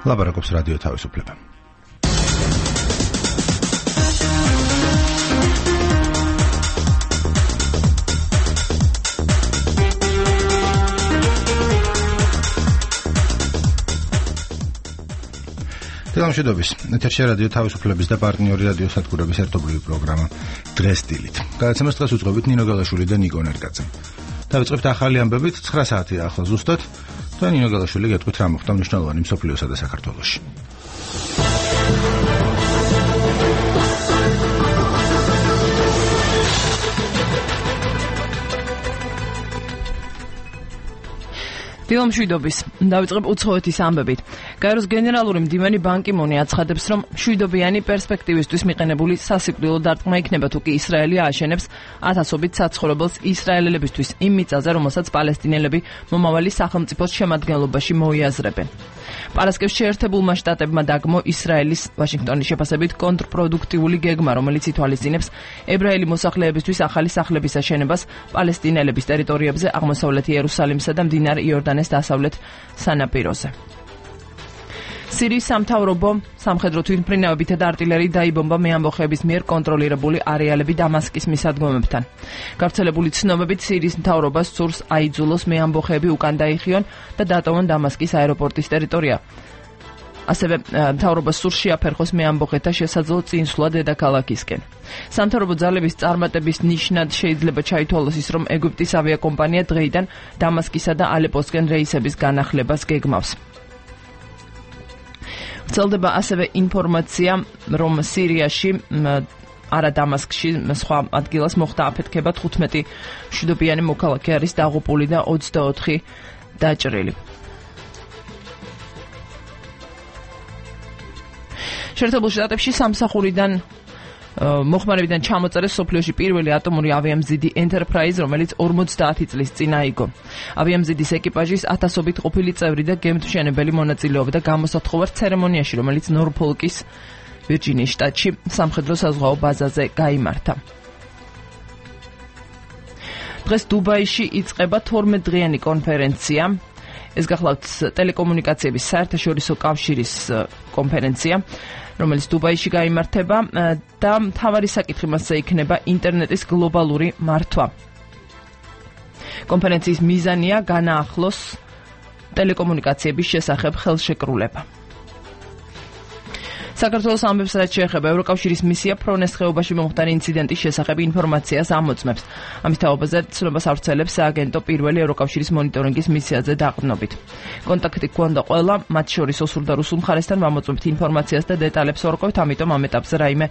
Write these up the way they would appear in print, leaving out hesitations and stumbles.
ლაპარაკობს რადიო თავისუფლება. გამშვიდობის. ეთერში რადიო თავისუფლების და პარტნიორი რადიო სადგურების ერთობლივი პროგრამა დღეს დილით. გადაცემას დღეს უძღვებით ნინო გელაშვილი და ნიკო ნერგაძე. დავიწყებთ ახალი ამბებით 9 საათია ახლა ზუსტად. და ნინო გელაშვილი გეტყვით რა მოხდა მნიშვნელოვანი მსოფლიოსა და საქართველოში. დილომშვიდობის. დავიწყებ უცხოეთის ამბებით. გაეროს გენერალური მდივანი ბან კი მუნი აცხადებს, რომ მშვიდობიანი პერსპექტივისთვის მიყენებული სასიკვდილო დარტყმა იქნება თუ კი ისრაელი ააშენებს ათასობით საცხოვრებელს ისრაელელებისთვის იმ მიწაზე, რომელსაც პალესტინელები მომავალი სახელმწიფოს შემადგენლობაში მოიაზრებენ. პარასკევს შეერთებულმა შტატებმა დაგმო ისრაელის ვაშინგტონის შეფასებით კონტრპროდუქტიული გეგმა, რომელიც ითვალისწინებს ებრაელი მოსახლეებისთვის ახალი სახლების აშენებას პალესტინელების ტერიტორიებზე აღმოსავლეთ იერუსალიმსა და მდინარე იორდანეს დასავლეთ სანაპიროზე. სირიის სამთავრობო სამხედრო თვითმფრინავებითა და артиლერიით დაიბომბა მეამბოხეების მიერ კონტროლირებული არეალები დამასკის მისადგომებთან. გავრცელებული ცნობებით სირიის მთავრობას სურს აიძულოს მეამბოხეები უკან დაიხიონ და დატოვონ დამასკის აეროპორტის ტერიტორია. ასევე მთავრობას სურს შეაფერხოს მეამბოხეთა შესაძლო წინსვლა დედაქალაქისკენ. სამთავრობო ძალების წარმატების ნიშნად შეიძლება ჩაითვალოს ის, რომ ეგვიპტის ავიაკომპანია დღეიდან დამასკისა და ალეპოსკენ რეისების განახლებას გეგმავს. ვრცელდება ასევე ინფორმაცია, რომ სირიაში არა დამასკში სხვა ადგილას მოხდა აფეთქება 15 მშვიდობიანი მოქალაქე არის დაღუპული და 24 დაჭრილი. შეერთებულ შტატებში სამსახურიდან მოხმარებიდან ჩამოწერეს სოფლიოში პირველი ატომური ავიამზიდი Enterprise, რომელიც 50 წლის წინ აიგო. ავიამზიდის ეკიპაჟის ათასობით ყოფილი წევრი და გემთმშენებელი მონაწილეობდა გამოსათხოვარ ცერემონიაში, რომელიც ნორფოლკის ვირჯინიის შტატში სამხედრო საზღვაო ბაზაზე გაიმართა. დღეს დუბაიში იწყება 12 დღიანი კონფერენცია. ეს გახლავთ ტელეკომუნიკაციების საერთაშორისო კავშირის კონფერენცია, რომელიც დუბაიში გაიმართება და მთავარი საკითხი მასზე იქნება ინტერნეტის გლობალური მართვა. კონფერენციის მიზანია განაახლოს ტელეკომუნიკაციების შესახებ ხელშეკრულება. საქართველოს ამბებს, რაც შეეხება ევროკავშირის მისია ფრონეს ხეობაში მომხდარი ინციდენტის შესახებ ინფორმაციას ამოწმებს. ამის თაობაზე ცნობას ავრცელებს სააგენტო პირველი ევროკავშირის მონიტორინგის მისიაზე დაყრდნობით. კონტაქტი გვქონდა ყველა, მათ შორის ოსურ და რუსულ მხარესთან ვამოწმებთ ინფორმაციას და დეტალებს ვარკვევთ, ამიტომ ამ ეტაპზე რაიმე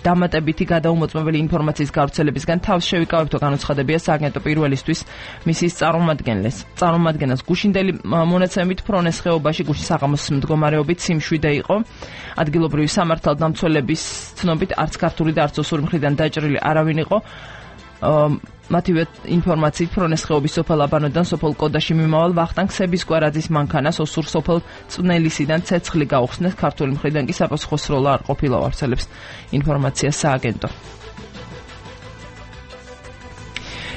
დამატებითი გადაუმოწმებელი ინფორმაციის გავრცელებისგან თავს შევიკავებთ, განუცხადებია სააგენტო პირველისთვის მისიის წარმომადგენელს. გუშინდელი მონაცემით ფრონეს ხეობაში გუშინ საღამოს მდგომარეობით სიმშვიდე იყო. ადგილობრივი სამართალდამცველების ცნობით არც ქართული და არც ოსური მხრიდან დაჭრილი არავინ იყო. მათივე ინფორმაციით ფრონეს ხეობის სოფელ აბანოდან სოფელ კოდაში მიმავალ ვახტანგ სებისკვარაძის მანქანას ოსურ სოფელ წვნელისიდან ცეცხლი გაუხსნეს, ქართული მხრიდან კი საპასუხო სროლა არ ყოფილა, ვარცელებს ინფორმაციას სააგენტო.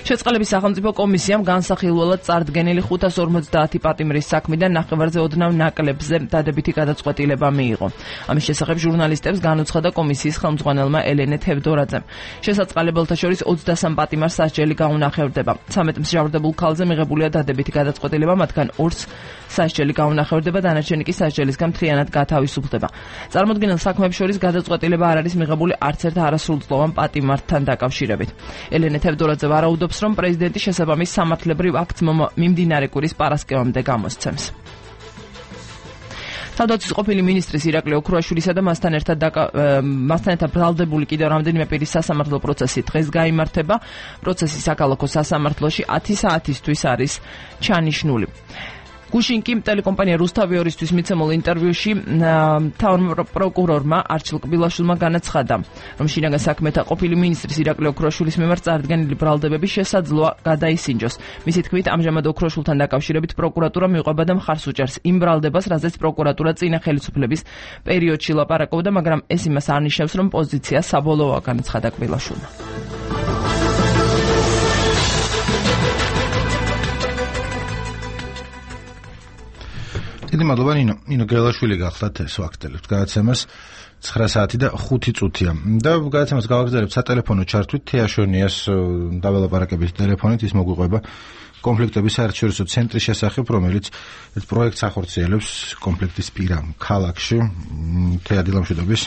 შეწყალების სახელმწიფო კომისიამ განსახილველად წარდგენილი 550 პატიმრის საქმიდან ნახევარზე ოდნავ ნაკლებზე დადებითი გადაწყვეტილება მიიღო. ამის შესახებ ჟურნალისტებს განუცხადა კომისიის ხელმძღვანელმა ელენე თევდორაძემ. შესაწყალებელთა შორის 23 პატიმარს სასჯელი გაუნახევრდება. 13 მსჯავრდებულ ქალზე მიღებულია დადებითი გადაწყვეტილება, მათგან 2-ს სასჯელი გაუნახევრდება, დანარჩენი კი სასჯელისგან მთლიანად გათავისუფლდება. წარმოდგენილ საქმეებს შორის გადაწყვეტილება არ არის მიღებული არც ერთ არასრულწლოვან პატიმართან დაკავშირებით. ელენე თევდორაძე ვარაუდობს, რომ პრეზიდენტი შესაბამის სამართლებრივ აქტს მიმდინარე კვირის პარასკევამდე გამოსცემს. თავდაცვის ყოფილი მინისტრის ირაკლი ოქრუაშვილისა და მასთან ერთად ბრალდებული კიდევ რამდენიმე პირის სასამართლო პროცესი დღეს გაიმართება. პროცესი საქალაქო სასამართლოში 10 საათისთვის არის ჩანიშნული. გუშინ კი ტელეკომპანია რუსთავიორისთვის მიცემულ ინტერვიუში მთავარ პროკურორმა არჩილ კბილაშვილმა განაცხადა, რომ შინაგან საქმეთა ყოფილი მინისტრის ირაკლი ოქრუაშვილის მიმართ წარდგენილი ბრალდებები შესაძლოა გადაისინჯოს. მისი თქმით, ამჟამად ოქრუაშვილთან დაკავშირებით პროკურატურა მიყვება და მხარს უჭერს იმ ბრალდებას, რაზეც პროკურატურა წინა ხელისუფლების პერიოდში ლაპარაკობდა, მაგრამ ეს იმას არ ნიშნავს, რომ პოზიცია საბოლოოა, განაცხადა კბილაშვილმა. დიდი მადლობა ნინო გელაშვილი გახლდათ ეს ვაქტელებთ გადაცემას 9 საათი და 5 წუთია და გადაცემას გავაგრძელებთ სატელეფონო ჩართვით თეაშონიას დაველაპარაკების ტელეფონით ის მოგვიყვება კონფლიქტების საერთაშორისო ცენტრის შესახებ რომელიც ეს პროექტს ახორციელებს კონფლიქტის პირა ქალაქში თეადილამშვიდობის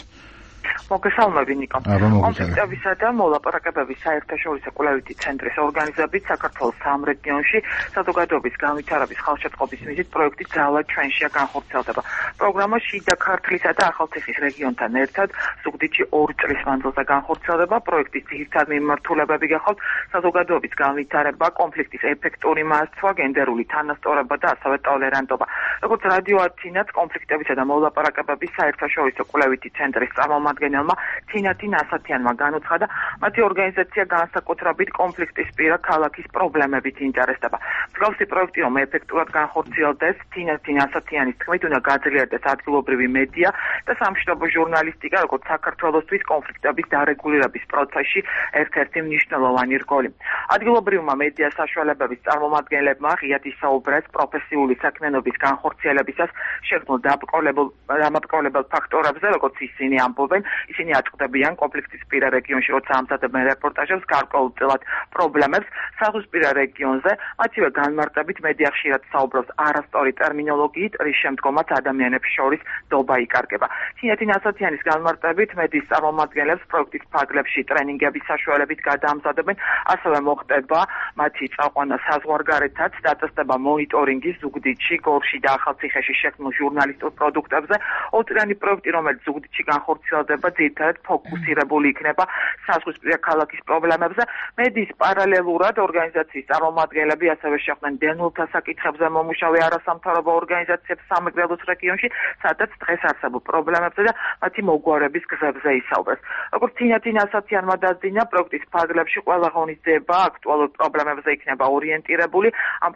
მოგესალმები ნიკო. კონფლიქტებისა და მოლაპარაკებების საერთაშორისო კვლევითი ცენტრის ორგანიზებით საქართველოს 3 რეგიონში საზოგადოების განვითარების ხალხშეწყობის მიზნით პროექტი ძალად ჩვენშია განხორციელდება. პროგრამა შიდა ქართლისა და ახალციხის რეგიონთან ერთად ზუგდიდში 2 წლის მანძილზე განხორციელდება. პროექტის ძირითადი მიმართულებები გახავთ საზოგადოების განვითარება, კონფლიქტის ეფექტური მასწვლა, გენდერული თანასწორობა და ასევე ტოლერანტობა. როგორც რადიო ათინაც კონფლიქტებისა და მოლაპარაკებების საერთაშორისო კვლევითი ცენტრის წარმომადგენელმა თინათინ ასათიანმა განუცხადა, მათი ორგანიზაცია განსაკუთრებით კონფლიქტის პირა ქალაქის პრობლემებით ინტერესდება. მსგავსი პროექტი რომ ეფექტურად განხორციელდეს, თინათინ ასათიანის თქმით უნდა გაძლიერდეს ადგილობრივი მედია და სამშვიდობო ჟურნალისტიკა, როგორც საქართველოსთვის კონფლიქტების დარეგულირების პროცესში ერთ-ერთი მნიშვნელოვანი რგოლი. ადგილობრივმა მედია საშუალებების წარმომადგენლებმა ღიად ისაუბრეს პროფესიული საქმიანობის განხორციელებისას შექმნილ დამატკოლებელ ფაქტორებზე, როგორც ისინი ამბობენ, ისინი აწყდებიან კონფლიქტის პირა რეგიონში, როცა ამზადებენ რეპორტაჟებს გარკვეულწილად პრობლემებს საზღვისპირა რეგიონზე, მათივე განმარტებით მედია ხშირად საუბრობს არასწორი ტერმინოლოგიით, რის შემდგომაც ადამიანებს შორის დობა იკარგება. თინათინ ასათიანის განმარტებით მედიის წარმომადგენლებს პროექტის ფარგლებში ტრენინგების საშუალებით გადაამზადებენ, ასევე მოხდება მათი წაყვანა საზღვარგარეთაც, დაწესდება მონიტორინგი ზუგდიდში, გორში და ახალციხეში შექმნილ ჟურნალისტურ პროდუქტებზე. 2 წლიანი პროექტი, რომელიც ზუგდიდში განხორციელდება, ძირითადად ფოკუსირებული იქნება საზღვისპირა ქალაქის პრობლემებზე. მედიის პარალელურად ორგანიზაციის წარმომადგენლები ასევე შეხვდნენ დევნილთა საკითხებზე მომუშავე არასამთავრობო ორგანიზაციებს სამეგრელოს რეგიონში, სადაც დღეს არსებულ პრობლემებზე და მათი მოგვარების გზებზე ისაუბრეს. როგორც თინათინ ასათიანმა დაძინა, პროექტის ფარგლებში ყველა ღონისძიება აქტუალურ პრობლემებზე იქნება ორიენტირებული. ამ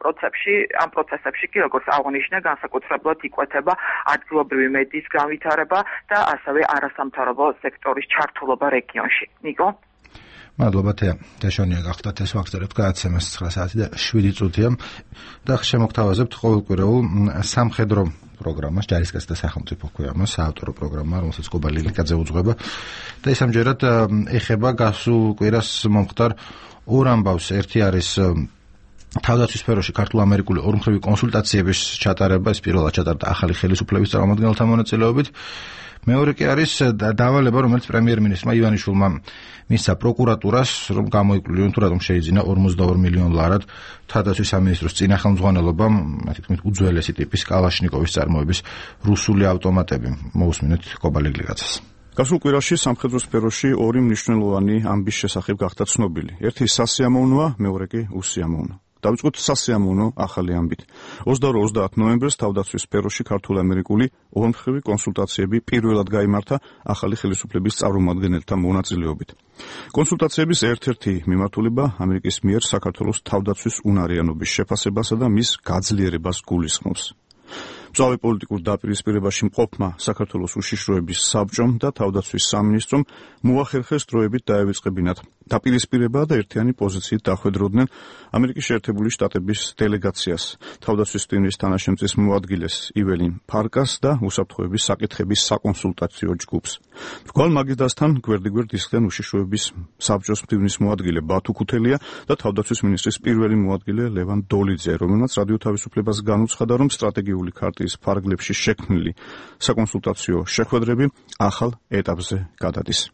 პროცესებში კი, როგორც აღნიშნა, განსაკუთრებულად იკვეთება ადგილობრივი მედიის განვითარება და ასევე არასამთავრობო სექტორის ჩართულობა რეგიონში. ნიკო? მადლობა თეაშონია გახლდათ ეს ვაგრძელებთ გადაცემას 9 საათი და 7 წუთია და შემოგთავაზებთ ყოველკვირეულ სამხედრო პროგრამას, ჯარისკაცთა სახელმწიფო ქვია, საავტორო პროგრამა, რომელსაც კობა ლილიკაძე უძღვება და ეს ამჯერად ეხება გასულ კვირას მომხდარ 2 ამბავს. ერთი არის თავდაცვის სფეროში ქართულ-ამერიკული ორმხრივი კონსულტაციების ჩატარება, ეს პირველად ჩატარდა ახალი ხელისუფლების წარმომადგენელთა მონაწილეობით. მეორე კი არის დავალება, რომელიც პრემიერ-მინისტრმა ივანიშვილმა მისცა პროკურატურას, რომ გამოიკვლიონ თუ რატომ შეიძინა 42 მილიონ ლარად თავდაცვის სამინისტროს წინა ხელმძღვანელობამ, მათი თქმით, უძველესი ტიპის კალაშნიკოვის წარმოების რუსული ავტომატები. მოусმინეთ კობა ლილიკაძეს. გასულ კვირაში სამხედრო სფეროში 2 მნიშვნელოვანი ამბის შესახებ გახდა ცნობილი. ერთი სასიამოვნოა, მეორე კი უსიამოვნო. დავიწყოთ სასიამოვნო ახალი ამბით. 22-30 ნოემბერს თავდაცვის სფეროში ქართულ-ამერიკული ორმხრივი კონსულტაციები პირველად გაიმართა ახალი ხელისუფლების წარმომადგენელთა მონაწილეობით. კონსულტაციების ერთ-ერთი მიმართულება ამერიკის მიერ საქართველოს თავდაცვის უნარიანობის შეფასებასა და მის გაძლიერებას გულისხმობს. მწვავე პოლიტიკურ დაპირისპირებაში მყოფმა საქართველოს უშიშროების საბჭომ და თავდაცვის სამინისტრომ მოახერხეს დროებით დაევიწყებინათ დაპირისპირება და ერთიანი პოზიციით დახვედროდნენ ამერიკის შეერთებული შტატების დელეგაციას, თავდაცვის ტიმის თანაშემწის მოადგილეს იველინ ფარკას და უსაფრთხოების საკითხების საკონსულტაციო ჯგუფს. მრგვალ მაგიდასთან გვერდიგვერდ ისხდნენ უშიშროების საბჭოს მდივნის მოადგილე ბათუ ქუთელია და თავდაცვის მინისტრის პირველი მოადგილე ლევან დოლიძე, რომელმაც რადიო თავისუფლებას განუცხადა, რომ სტრატეგიული ქარტიის ფარგლებში შექმნილი საკონსულტაციო შეხვედრები ახალ ეტაპზე გადადის.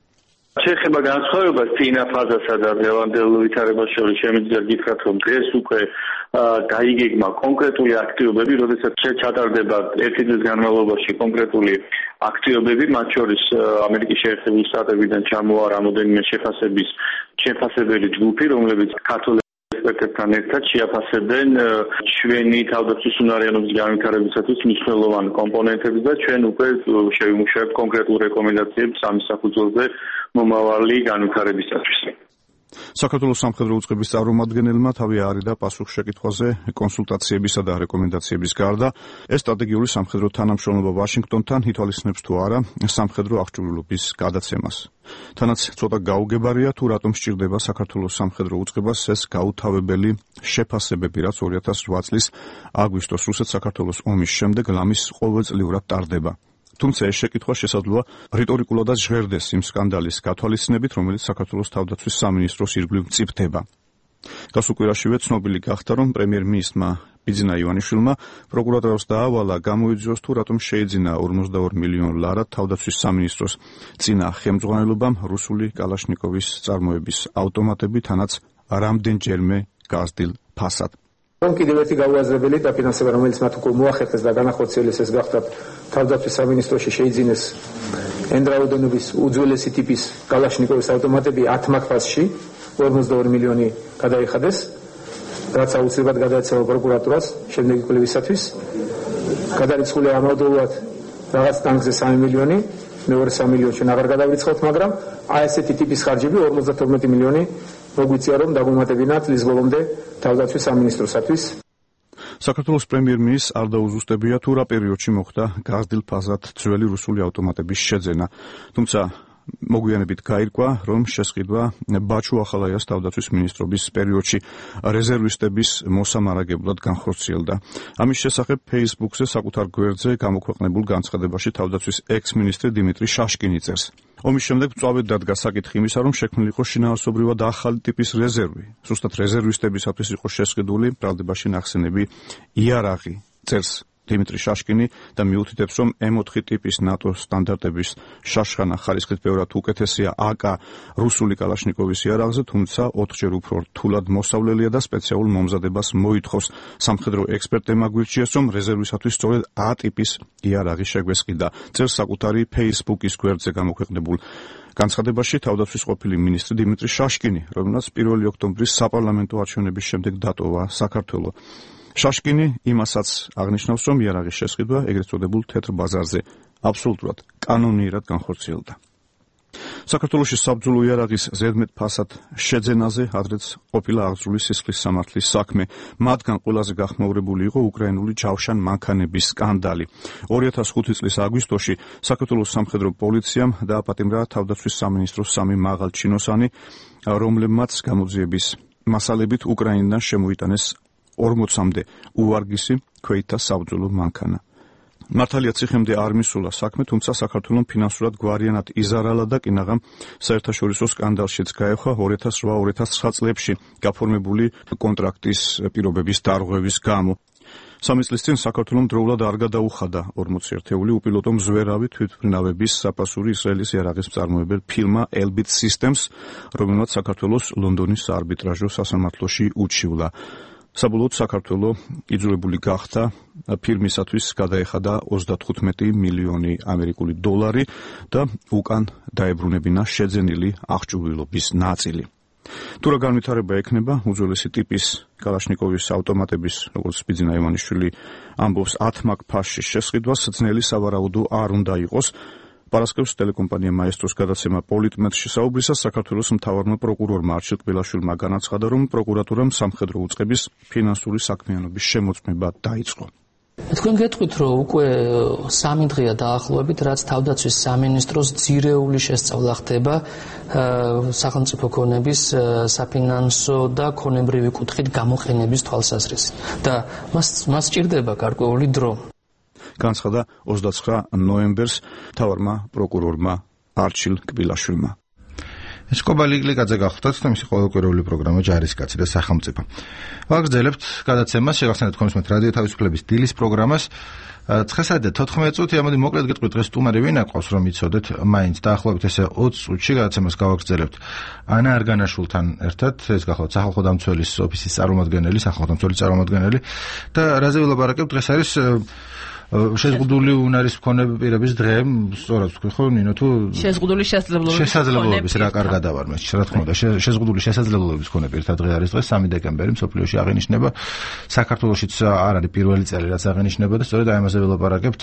შეხება განსხვავებას წინა ფაზასა და დღევანდელ ვითარებას შორის შემიძლია გითხრათ, რომ დღეს უკვე გაიგეგმა კონკრეტული აქტივობები, როდესაც ჩატარდება ერთი წლის განმავლობაში კონკრეტული აქტივობები, მათ შორის ამერიკის შეერთებული შტატებიდან ჩამოვა რამოდენიმე შეფასებელი ჯგუფი, რომლებიც ქართულ ექსპერტებთან ერთად შეაფასებენ ჩვენი თავდაცვის უნარიანობის განვითარებისათვის მნიშვნელოვან კომპონენტებს და ჩვენ უკვე შევიმუშავებთ კონკრეტულ რეკომენდაციებს ამ საფუძველზე მომავალი განვითარებისათვის. საქართველოს სამხედრო უწყების წარმომადგენელმა თავი არიდა პასუხ შეკითხვაზე კონსულტაციებისა და რეკომენდაციების გარდა ეს სტრატეგიული სამხედრო თანამშრომლობა ვაშინგტონთან ითვალისწინებს თუ არა სამხედრო აღჭურვილობის გადაცემას. თანაც ცოტა გაუგებარია თუ რატომ სჭირდება საქართველოს სამხედრო უწყებას ეს გაუთავებელი შეფასებები, რაც 2008 წლის აგვისტოს რუსეთ-საქართველოს ომის შემდეგ ლამის ყოველწლიურად ტარდება. თუმცა ეს შეკითხვა შესაძლოა რიტორიკულადაც ჟღერდეს იმ სკანდალის გათვალისწინებით, რომელიც საქართველოს თავდაცვის სამინისტროს ირგვლივ მწიფდება. გასულ კვირაშივე ცნობილი გახდა, რომ პრემიერ-მინისტრმა ბიძინა ივანიშვილმა პროკურატურას დაავალა გამოიძიოს თუ რატომ შეიძინა 42 მილიონ ლარად თავდაცვის სამინისტროს წინა ხელმძღვანელობამ რუსული კალაშნიკოვის წარმოების ავტომატები, თანაც რამდენჯერმე გაზრდილ ფასად. კიდევ ერთი გაუაზრებელი დაფინანსება, რომელიც მათ უკვე მოახერხეს და განახორციელეს, ეს გახდათ თავდაცვის სამინისტროში შეიძინეს ენდრაუდენობის უძველესი ტიპის კალაშნიკოვის ავტომატები 10 მაგფასში 42 მილიონი გადაიხადეს, რაც აუცილებლად გადაეცემა პროკურატურას შემდეგი კვლევისათვის. გადარიცხული ამავდროულად რაღაც ტანკზე 3 მილიონი, მეორე 3 მილიონში აღარ გადავრიცხავთ, მაგრამ ესეთი ტიპის ხარჯები 52 მილიონი მოგვიწია, რომ დაგვემატებინა წლის ბოლომდე თავდაცვის სამინისტროსათვის. საქართველოს პრემიერ-მინისტრს არ დაუზუსტებია თუ რა პერიოდში მოხდა გაზრდილ ფაზად ძველი რუსული ავტომატების შეძენა. თუმცა მოგვიანებით გაირკვა, რომ შესყიდვა ბაჩუ ახალაიას თავდაცვის მინისტრობის პერიოდში რეზერვისტების მოსამარაგებლად განხორციელდა. ამის შესახებ Facebook-ზე საკუთარ გვერდზე გამოქვეყნებულ განცხადებაში თავდაცვის ექს-მინისტრი დიმიტრი შაშკინი წერს. ომის შემდეგ მწვავედ დადგა საკითხი იმისა, რომ შექმნილი იყო შინაარსობრივად ახალი ტიპის რეზერვი. ზუსტად რეზერვისტებისათვის იყო შესყიდული ბრალდებაში ნახსენები იარაღი, წერს დიმიტრი შაშკინი და მიუთითებს, რომ M4 ტიპის ნატო სტანდარტების შაშხანა ხარისხით ბევრად უკეთესია AK რუსული კალაშნიკოვის იარაღზე, თუმცა 4-ჯერ უფრო რთულად მოსავლელია და სპეციალურ მომზადებას მოითხოვს. სამხედრო ექსპერტებმა გვირჩიეს, რომ რეზერვისათვის სწორედ A ტიპის იარაღი შეგვესყიდა. წერს საკუთარი Facebook-ის გვერდზე გამოქვეყნებულ განცხადებაში თავდაცვის ყოფილი მინისტრი დიმიტრი შაშკინი, რომელმაც 1 ოქტომბრის საპარლამენტო არჩევნების შემდეგ დატოვა საქართველო. შაშკინი იმასაც აღნიშნავს, რომ იარაღის შესყიდვა ეგრეთ წოდებულ თეთრ ბაზარზე აბსოლუტურად კანონიერად განხორციელდა. საქართველოში საბრძოლო იარაღის ზედმეტ ფასად შეძენაზე ადრეც ყოფილა აღძრული სისხლის სამართლის საქმე. მათგან ყველაზე გახმაურებული იყო უკრაინული ჯავშან მანქანების სკანდალი. 2005 წლის აგვისტოში საქართველოს სამხედრო პოლიციამ დააპატიმრა თავდაცვის სამინისტროს 3 მაღალჩინოსანი, რომლებმაც გამოძიების მასალებით უკრაინიდან შემოიტანეს 40-მდე უვარგისი ქვეითთა საბრძოლო მანქანა. მართალია ციხემდე არ მისულა საქმე, თუმცა საქართველოს ფინანსურად გვარიანად იზარალა და კინაღამ საერთაშორისო სკანდალშიც გაეხვა 2008-2009 წლებში გაფორმებული კონტრაქტის პირობების დარღვევის გამო. 3 წლის წინ საქართველოს დროულად არ გადაუხადა 40 ერთეული უპილოტო მზვერავი თვითმფრინავების საფასური ისრაელის იარაღის მწარმოებელ ფირმა Elbit Systems, რომელმაც საქართველოს ლონდონის საარბიტრაჟო სასამართლოში უჩივლა. საბოლოოდ საქართველოს იძულებული გახდა ფირმისათვის გადაეხადა 35 მილიონი ამერიკული დოლარი და უკან დაებრუნებინა შეძენილი აღჭურვილობის ნაწილი. თუ რა განვითარება ექნება უძველესი ტიპის კალაშნიკოვის ავტომატების, როგორც ბიძინა ივანიშვილი ამბობს, 10 მაგ-ფასში შესყიდვას ძნელი სავარაუდო არ უნდა იყოს. პარასკევს ტელეკომპანია მაესტროს გადაცემა პოლიტმეტში საუბრისას საქართველოს მთავარმა პროკურორმა არჩილ კბილაშვილმა განაცხადა, რომ პროკურატურამ სამხედრო უწყების ფინანსური საქმიანობის შემოწმება დაიწყო. თქვენ გეტყვით, რომ უკვე 3 დღეა დაახლოებით, რაც თავდაცვის სამინისტროს ძირეული შესწავლა ხდება სახელმწიფო ქონების საფინანსო და ქონებრივი კუთხით გამოყენების თვალსაზრისით და მას სჭირდება გარკვეული დრო. განცხადა 29 ნოემბერს მთავარმა პროკურორმა არჩილ კბილაშვილმა. ეს კობალიკლიკაძე გახლდათ და მისი ყოველკვირეული პროგრამა ჯარისკაცი და სახელმწიფო. ვაგრძელებთ გადაცემას, შეგახსენებთ კონსუმენტ რადიო თავისუფლების დილის პროგრამას. 9:14 წუთი, ამოდი მოკლედ გეტყვით დღეს სტუმარი ვინ აკავს, რომ იცოდეთ მაინც დაახლოებით ესე 20 წუთში გადაცემას გავაგრძელებთ ანა არგანაშვილთან ერთად, ეს გახლავთ სახალხო დამცველის ოფისის წარმომადგენელი, სახალხო დამცველის წარმომადგენელი და რაზე ვილაპარაკებთ დღეს არის შეზღუდული უნარის მქონე პირების დღე, სწორად ვთქვი ხო, ნინო, თუ შეზღუდული შესაძლებლობების რა კარგად ავარ მე, რა თქმა უნდა, შეზღუდული შესაძლებლობების მქონე პირთა დღე არის დღეს 3 დეკემბერი, მსოფლიოში აღინიშნება. საქართველოშიც არ არის პირველი წელი, რაც აღინიშნება და სწორედ აი ამაზე ვილაპარაკებთ.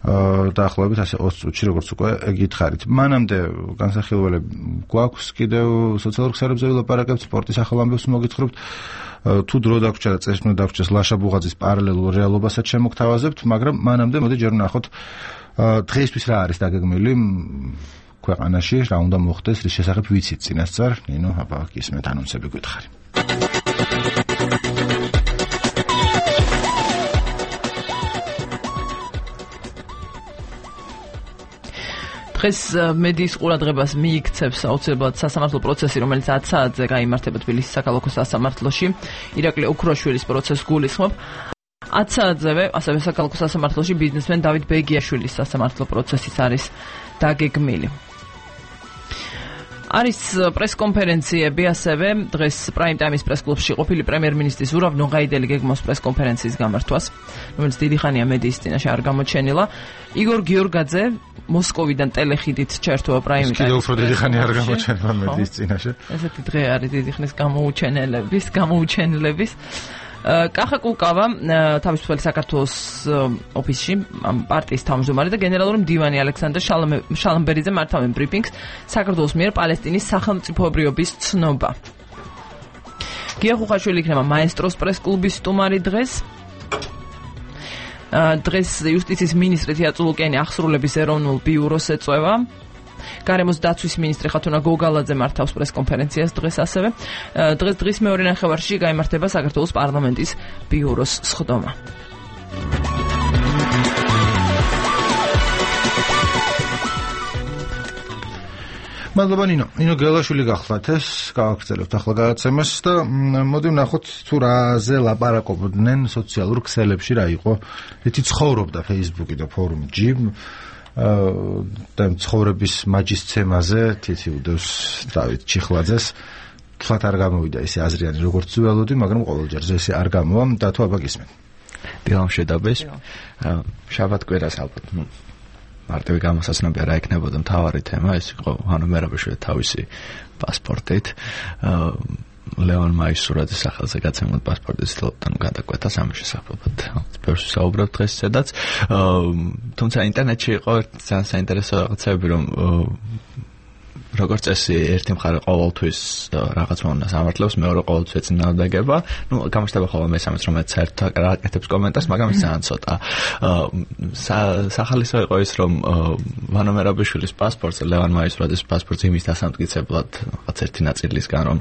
დაახლოებით ასე 20 წუთში როგორც უკვე გითხარით. მანამდე განსახილველები გვაქვს კიდევ სოციალურ ქსელებზე ვილაპარაკებთ, სპორტის ახალ ამბებს მოგითხრობთ. თუ დრო დაგვრჩა და წესრიგ დაგვრჩეს ლაშა ბუღაძის პარალელურ რეალობასაც შემოგთავაზებთ, მაგრამ მანამდე მოდი ჯერ ვნახოთ დღეისთვის რა არის დაგეგმილი ქვეყანაში, რა უნდა მოხდეს, რის შესახებ ვიცით წინასწარ, ნინო, აბა გისმენთ ანონსები გითხარი. დღეს მედიის ყურადღებას მიიქცევს აუცილებლად სასამართლო პროცესი, რომელიც 10 საათზე გაიმართება თბილისის საქალაქო სასამართლოში. ირაკლი ოქროშვილის პროცესს გულისხმობ. 10 საათზევე ასევე საქალაქო სასამართლოში ბიზნესმენ დავით ბეგიაშვილის სასამართლო პროცესიც არის დაგეგმილი. არის პრესკონფერენციები ასევე დღეს პრაიმ ტაიმის პრესკლუბში ყოფილი პრემიერ-მინისტრის ზურავ ნოღაიდელი გეგმავს პრესკონფერენციის გამართვას, რომელიც დიდი ხანია მედიის წინაშე არ გამოჩენილა. იგორ გიორგაძე მოსკოვიდან ტელეხიდით ჩერთოა პრაიმ ტაიმის. კიდევ უფრო დიდი ხანი არ გამოჩენილა მედიის წინაშე. ესეთი დღე არის დიდი ხნის გამოუჩენელების. კახა კუკავა თავისუფალი საქართველოს ოფისში პარტიის თავმჯდომარე და გენერალური მდივანი ალექსანდრე შალამბერიძე მართავენ ბრიფინგს საქართველოს მიერ პალესტინის სახელმწიფოებრიობის ცნობა. გია ხუხაშვილი იქნება მაესტროს პრესკლუბის სტუმარი დღეს. დღეს იუსტიციის მინისტრი თეატრო ლუკიანი აღსრულების ეროვნულ ბიუროს ეწევა. გარემოს დაცვის მინისტრი ხათუნა გოგალაძე მართავს პრესკონფერენციას დღეს ასევე. დღის მეორე ნახევარში გაიმართება საქართველოს პარლამენტის ბიუროს სხდომა. მადლობა ნინო გელაშვილი გახლავთ ეს გავაგრძელებთ ახლა გადაცემას და მოდი ვნახოთ თუ რაზე ლაპარაკობდნენ სოციალურ ქსელებში რა იყო. ეთი ცხოვრობდა Facebook-ი და ფორუმი ჯიმ და ცხოვრების მაჯისცემაზე თითი უდევს დავით ჩიხლაძეს. თქვათ არ გამოვიდა ესე აზრიანი როგორც ველოდი, მაგრამ ყოველჯერ ესე არ გამოვა და თუ აბა გისმენ. დილამშვიდობის. შაბათ-კვირას ალბათ მარტივი გამოსაცნობია რა იქნებოდა მთავარი თემა, ეს იყო ანუ მერაბიშვილი თავისი პასპორტით. ლეონ მაისურაძის სახელზე გაცემულ პასპორტის ცდილობდნენ გადაკვეთას ამის შესაძლებლად. ბევრს ვსაუბრობთ დღეს სადაც. თუმცა ინტერნეტში იყო ძალიან საინტერესო რაღაცები, რომ როგორც წესი ერთი მხარე ყოველთვის რაღაც მომენტს ამართლებს, მეორე ყოველთვის ეწინააღმდეგება. გამოჩნდება ხოლმე მესამეც, რომელიც საერთოდ არ აკეთებს კომენტარს, მაგრამ ის ძალიან ცოტა. სახალისო იყო ის, რომ ვანო მერაბიშვილის პასპორტზე, ლევან მაისურაძის პასპორტზე იმის დასამტკიცებლად რაღაც ერთი ნაწილისგან, რომ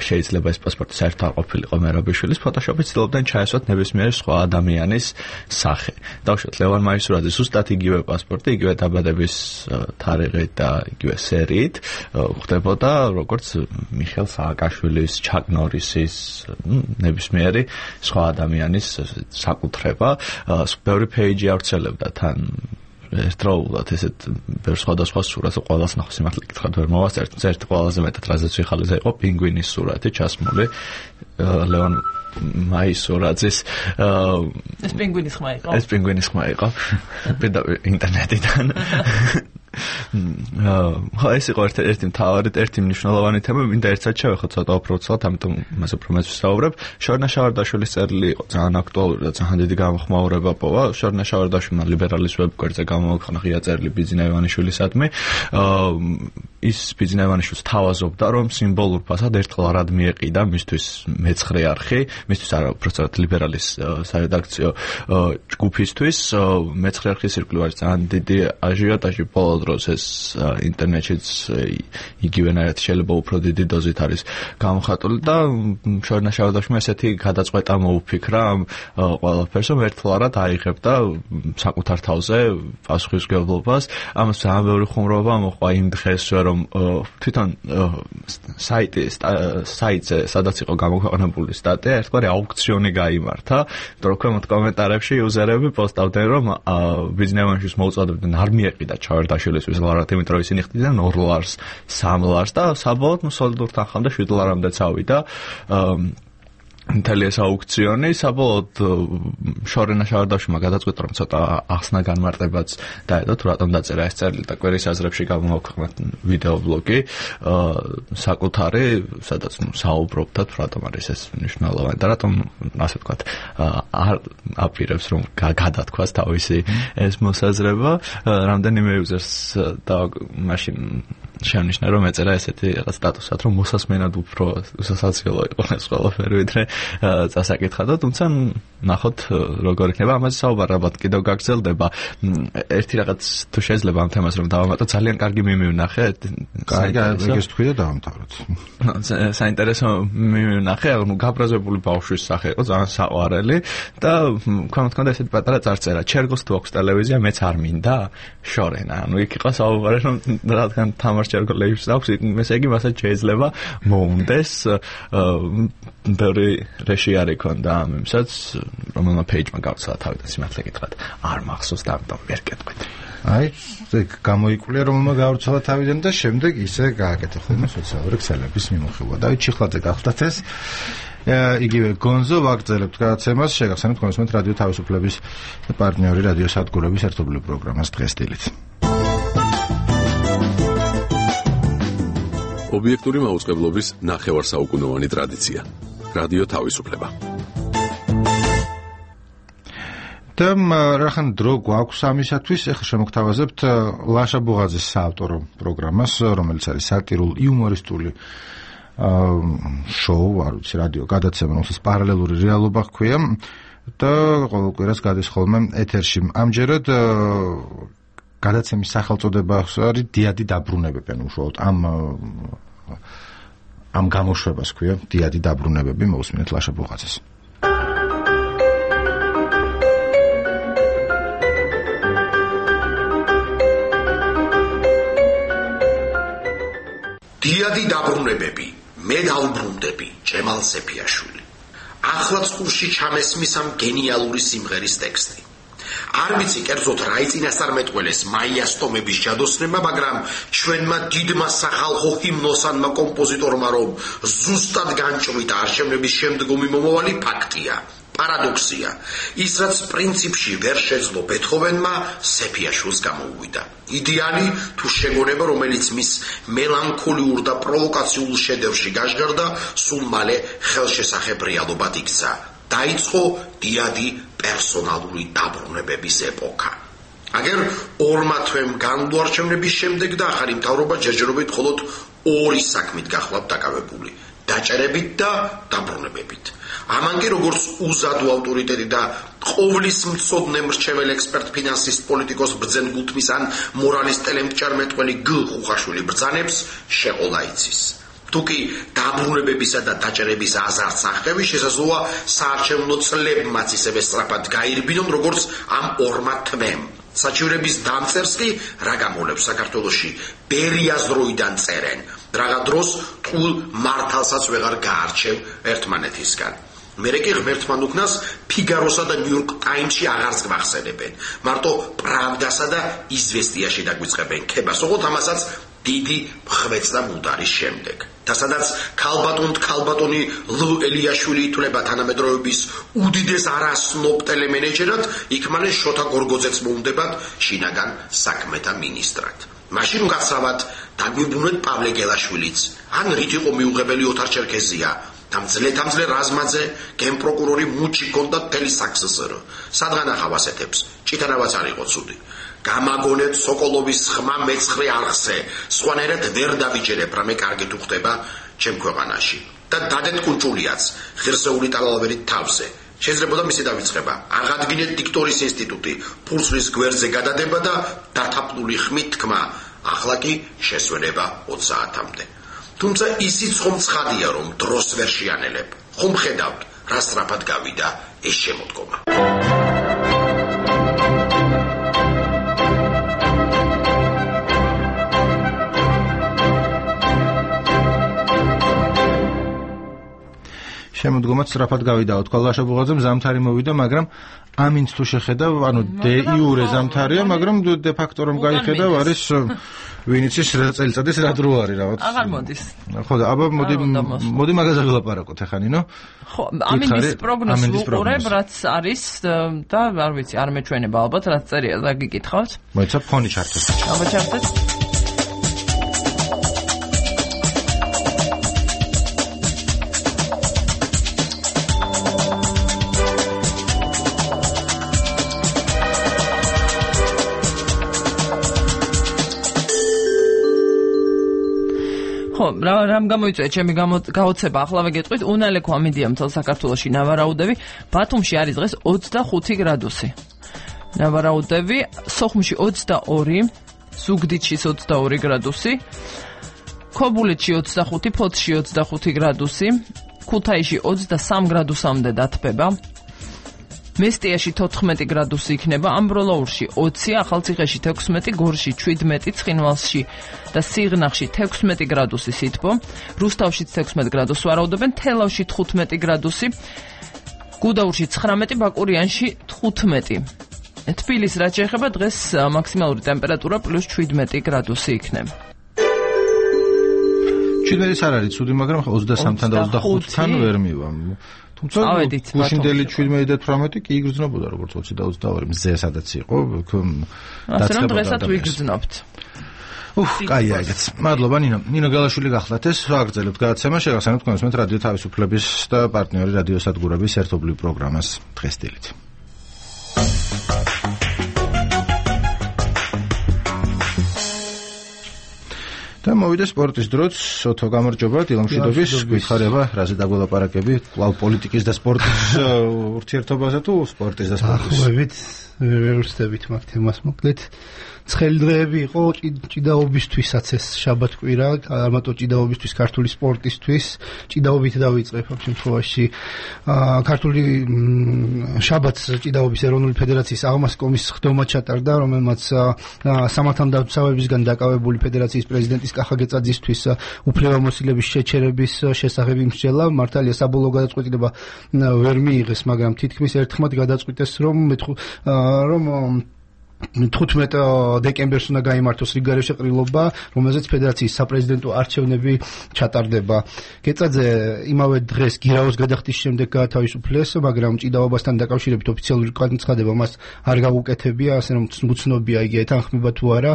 შეიძლება ეს პასპორტი საერთოდ არ ყოფილიყო მერაბიშვილის, ფოტოშოპით ცდილობდნენ ჩაესვათ ნებისმიერი სხვა ადამიანის სახე. დავუშვათ ლევან მაისურაძის ზუსტად იგივე პასპორტი, იგივე დაბადების თარიღით და იგივე სერიით ხდებოდა როგორც მიხელ სააკაშვილის, ჩაკ ნორისის, ნებისმიერი სხვა ადამიანის საკუთრება. ბევრი პეიჯი ავრცელებდა თან ერთდროულად ესეთ ბევრ სხვადასხვა სურათს, ყველას ნახო სიმართლე გითხრათ ვერ მოვასწრებთ, ერთ ყველაზე მეტად რაზეც ვიხალეზე იყო პინგვინის სურათი ჩასმული ლეონ მაისურაძის. ეს პინგვინის ხმა იყო? ეს პინგვინის ხმა იყო. პირდაპირ ინტერნეტიდან. ეს იყო ერთი მთავარი, ერთი მნიშვნელოვანი თემა, მინდა ერთად შევეხოთ ცოტა უბრალოდ, ამიტომ მას უფრო მეც ვსაუბრებ. შორნა შავარდაშვილის წერილი იყო ძალიან აქტუალური და ძალიან დიდი გამოხმაურება პოვა. შორნა შავარდაშვილმა ლიბერალის ვებგვერდზე გამოაქვეყნა ღია წერილი ბიძინა ივანიშვილისადმი. ის ბიძინა ივანიშვილს თავაზობდა, რომ სიმბოლურ ფასად ერთხელ არად მიეყიდა მისთვის მეცხრე არხი, მისთვის არა, უბრალოდ ლიბერალის სარედაქციო ჯგუფისთვის მეცხრე არხის ირგვლივ არის ძალიან დიდი აჟიოტაჟი ბოლო დროს ეს ინტერნეტშიც იგივენაირად შეიძლება უფრო დიდი დოზით არის გამოხატული და შორნა შავარდაშვილმა ესეთი გადაწყვეტა მოუფიქრა ყველაფერს, რომ ერთხელ არად აიღებდა საკუთარ თავზე პასუხისმგებლობას. ამას ძალიან ბევრი ხუმრობა მოყვა იმ დღესვე, რომ თვითონ საიტზე სადაც იყო გამოქვეყნებული სტატია, ერთგვარი აუქციონი გაიმართა, იმიტომ რომ ქვემოთ კომენტარებში იუზერები პოსტავდნენ, რომ ბიძინა ივანიშვილს მოუწოდებდნენ არ მიეყიდა ჩავარდაშვილისთვის ლარად, იმიტომ რომ ისინი ხდიდნენ 2 ლარს, 3 ლარს და საბოლოოდ სოლიდურ თანხამდე 7 ლარამდე წავიდა. მთელი ეს აუქციონი საბოლოოდ შორენა შავარდაშმა გადაწყვიტა რომ ცოტა ახსნა განმარტებაც დაედო თუ რატომ დაწერა ეს წერილი და კვერის აზრებში გამოვაქვეყნეთ ვიდეო ბლოგი საკუთარი სადაც საუბრობთ თუ რატომ არის ეს მნიშვნელოვანი და რატომ ასე ვთქვათ არ აპირებს რომ გადათქვას თავისი ეს მოსაზრება რამდენიმე users და მაშინ შენიშნა რომ ეწერა ესეთი რაღაც სტატუსად რომ მოსასმენად უფრო უსასაცილო იყო ეს ყველაფერი ვიდრე წასაკითხა და თუმცა ნახოთ როგორ იქნება ამაზე საუბარი ალბათ კიდევ გაგრძელდება ერთი რაღაც თუ შეიძლება ამ თემას რომ დავამატო ძალიან კარგი მიმივნახე კარგი ეგეს თქვი და დავამთავროთ საინტერესო მიმივნახე ანუ გაბრაზებული ბავშვის სახე იყო ძალიან საყვარელი და თქმა ესეთი პატარა წარწერა ჩერგოს თუ აქვს ტელევიზია მეც არ მინდა შორენა ანუ იქ იყო საუბარი რომ რადგან თამაშჩერგოლებს აქვს ესე იგი მასაც შეიძლება მოუნდეს ბევრი რეში არ იქონდა ამ იმსაც რომელმა პეიჯმა გავცალა თავიდან სიმართლე გითხრათ არ მახსოვს და ამიტომ ვერ კეთქვით აი ეგ გამოიკვლია რომელმა გავრცელა თავიდან და შემდეგ ისე გააკეთა ხოლმე სოციალური ქსელების მიმოხილვა და ჩიხლაძე გახლდათ ეს იგივე გონზო ვაგრძელებთ გადაცემას შეგახსენებთ კონსუმენტ რადიო თავისუფლების პარტნიორი რადიო სადგურების ერთობლივ პროგრამას დღეს დილით ობიექტური მაუწყებლობის ნახევარსაუკუნოვანი ტრადიცია. რადიო თავისუფლება. და რახან დრო გვაქვს ამისათვის, ახლა შემოგთავაზებთ ლაშა ბუღაძის საავტორო პროგრამას, რომელიც არის სატირულ-იუმორისტული შოუ, არ ვიცი, რადიო გადაცემა, რომელსაც პარალელური რეალობა ჰქვია და ყოველ კვირას გადის ხოლმე ეთერში. ამჯერად გადაცემის სახელწოდება არის დიადი დაბრუნებები, ანუ უშუალოდ ამ გამოშვებას ქვია დიადი დაბრუნებები, მოусმინეთ ლაშა ბუღაძეს. დიადი დაბრუნებები, მე დავბრუნდები, ჯემალ სეფიაშვილი. ახლაც ყურში ჩამესმის ამ გენიალური სიმღერის ტექსტი. არ ვიცი კერძოდ რა იწინასწარმეტყველეს მაიას ტომების ჯადოსნებმა, მაგრამ ჩვენმა დიდმა სახალხო ჰიმნოსანმა კომპოზიტორმა რომ ზუსტად განჭვრიტა არჩევნების შემდგომი მომავალი ფაქტია. პარადოქსია, ის რაც პრინციპში ვერ შეძლო ბეთჰოვენმა, სეფიაშვილს გამოუვიდა. იდეალი თუ შეგონება, რომელიც მის მელანქოლიურ და პროვოკაციულ შედევრში გაჟღერდა, სულ მალე ხელშესახებ რეალობად იქცა. დაიწყო დიადი პერსონალური დაბრუნებების ეპოქა. აგერ ორმა თვემ განვლო არჩევნების შემდეგ და ახალი მთავრობა ჯერჯერობით მხოლოდ ორი საქმით გახლავთ დაკავებული: დაჭერებით და დაბრუნებებით. ამანგი როგორც უზადო ავტორიტეტი და ყოვლის მცოდნე მრჩეველ ექსპერტ ფინანსისტ პოლიტიკოს ბრძენ გულთმის ან მორალის ტელემჭარმეტყველი გ ხუხაშვილი ბრძანებს შეყოლა იცის. თუკი დაბრუნებებისა და დაჭერების აზარს აღწევი შესაძლოა საარჩევნო წლებმაც ისევე სწრაფად გაირბინონ როგორც ამ ორმა თმემ. საჩივრების დამწერს კი რა გამოლებს საქართველოში ბერიას დროიდან წერენ, რაღა დროს ტყუილ მართალსაც ვეღარ გაარჩევ ერთმანეთისგან. მერე კი ღმერთთან უკნას ფიგაროსა და ნიუ-იორკ ტაიმსში აღარს გვახსენებენ. მარტო პრავდასა და იზვესტიაში დაგვიწყებენ ქებას, ოღონდ ამასაც დიდი ხვეწდა მუდარის შემდეგ. და სადაც ქალბატონი ლ ელიაშვილი ითვლება თანამედროვეობის უდიდეს არასნობ ტელემენეჯერად, იქ მალე შოთა გორგოძეც მოუნდებათ შინაგან საქმეთა მინისტრად. მაშინ გასავად დაგვიბრუნეთ პავლე გელაშვილიც, ან რით იყო მიუღებელი ოთარ ჩერქეზია, დამძლე რაზმაძე, გენპროკურორი მუჩი კონდა თელი საქსსრ. სადღან ახავ ასეთებს, ჭიტანავაც არ იყო ცუდი. გამაგონეთ სოკოლოვის ხმა მეცხრე არხზე, სხვანაირად ვერ დავიჯერებ, რამე კარგი თუ ხდება ჩემ ქვეყანაში. და დადეთ კუნჭულიაც, ღირსეული ტალალვერით თავზე. შეიძლება მისი დავიწყება. აღადგინეთ დიქტორის ინსტიტუტი, ფურსლის გვერდზე გადადება და დათაფლული ხმით თქმა, ახლა კი შესვენება 20 საათამდე. თუმცა ისიც ხომ ცხადია, რომ დროს ვერ შეანელებ. ხომ ხედავთ, რა სწრაფად გავიდა ეს შემოდგომა. შემოდგომაც სწრაფად გავიდაო, თქვა ლაშა ბუღაძემ, ზამთარი მოვიდა, მაგრამ ამინც თუ შეხედავ, ანუ დე იურე ზამთარია, მაგრამ დე ფაქტო რომ გაიხედავ, არის ვინ იცის რა წელიწადის რა დრო არის რაღაც. აღარ მოდის. ხო და აბა მოდი მაგაზე ვილაპარაკოთ ახლა ნინო. ხო, ამინდის პროგნოზს ვუყურებ, რაც არის და არ ვიცი, არ მეჩვენება ალბათ, რაც წერია, და გიკითხავთ. მოიცა ფონი ჩართეთ. აბა ჩართეთ. ხო, რამ გამოიწვია ჩემი გაოცება, ახლავე გეტყვით, უნალექო ამინდია მთელ საქართველოში ნავარაუდები, ბათუმში არის დღეს 25 გრადუსი. ნავარაუდები, სოხუმში 22, ზუგდიდში 22 გრადუსი, ქობულეთში 25, ფოთში 25 გრადუსი, ქუთაისში 23 გრადუსამდე დათბება. მესტიაში 14 გრადუსი იქნება, ამბროლაურში 20, ახალციხეში 16, გორში 17, ცხინვალში და სიღნაღში 16 გრადუსი სითბო, რუსთავში 16 გრადუსს ვარაუდობენ, თელავში 15 გრადუსი, გუდაურში 19, ბაკურიანში 15. თბილისს რაც შეეხება დღეს მაქსიმალური ტემპერატურა +17 გრადუსი იქნება. 17-ის არ არის ცუდი, მაგრამ 23-თან და 25-თან ვერ მივა. თუმცა გუშინდელი 17 და 18 კი იგრძნობოდა როგორც 20 და 22 მზე სადაც იყო ასე რომ დღესაც ვიგრძნობთ. კაია ეგეც. მადლობა ნინო გალაშვილი გახლათ ეს ვაგრძელებთ გადაცემა შეგახსენებთ კონსუმენტ რადიო თავისუფლების და პარტნიორი რადიო სადგურების ერთობლივ პროგრამას დღეს დილით. და მოვიდა სპორტის დროც, ოთო გამარჯობა, დილამშვიდობის, გითხარება, რაზე დაგველაპარაკები, კვლავ პოლიტიკის და სპორტის ურთიერთობაზე თუ სპორტის და სპორტის? ხვევით, ვერ ვსწრებით მაგ თემას მოკლედ. ცხელი დღეები იყო ჭიდაობისთვისაც ეს შაბათ-კვირა, ამათო ჭიდაობისთვის, ქართული სპორტისთვის, ჭიდაობით დავიწყებ ამ შემთხვევაში. ქართული შაბათს ჭიდაობის ეროვნული ფედერაციის აღმასკომის ხდომა ჩატარდა, რომელმაც სამართალდამცავებისგან დაკავებული ფედერაციის პრეზიდენტის კახა გეწაძისთვის უფლებამოსილების შეჩერების შესახებ იმსჯელა. მართალია საბოლოო გადაწყვეტილება ვერ მიიღეს, მაგრამ თითქმის ერთხმად გადაწყვიტეს, რომ 15 დეკემბერს უნდა გაიმართოს რიგგარეშე ყრილობა, რომელზეც ფედერაციის საპრეზიდენტო არჩევნები ჩატარდება. გეწაძე იმავე დღეს გირაოს გადახდის შემდეგ გაათავისუფლეს, მაგრამ ჭიდაობასთან დაკავშირებით ოფიციალური განცხადება მას არ გაუკეთებია, ასე რომ უცნობია იგი ეთანხმება თუ არა,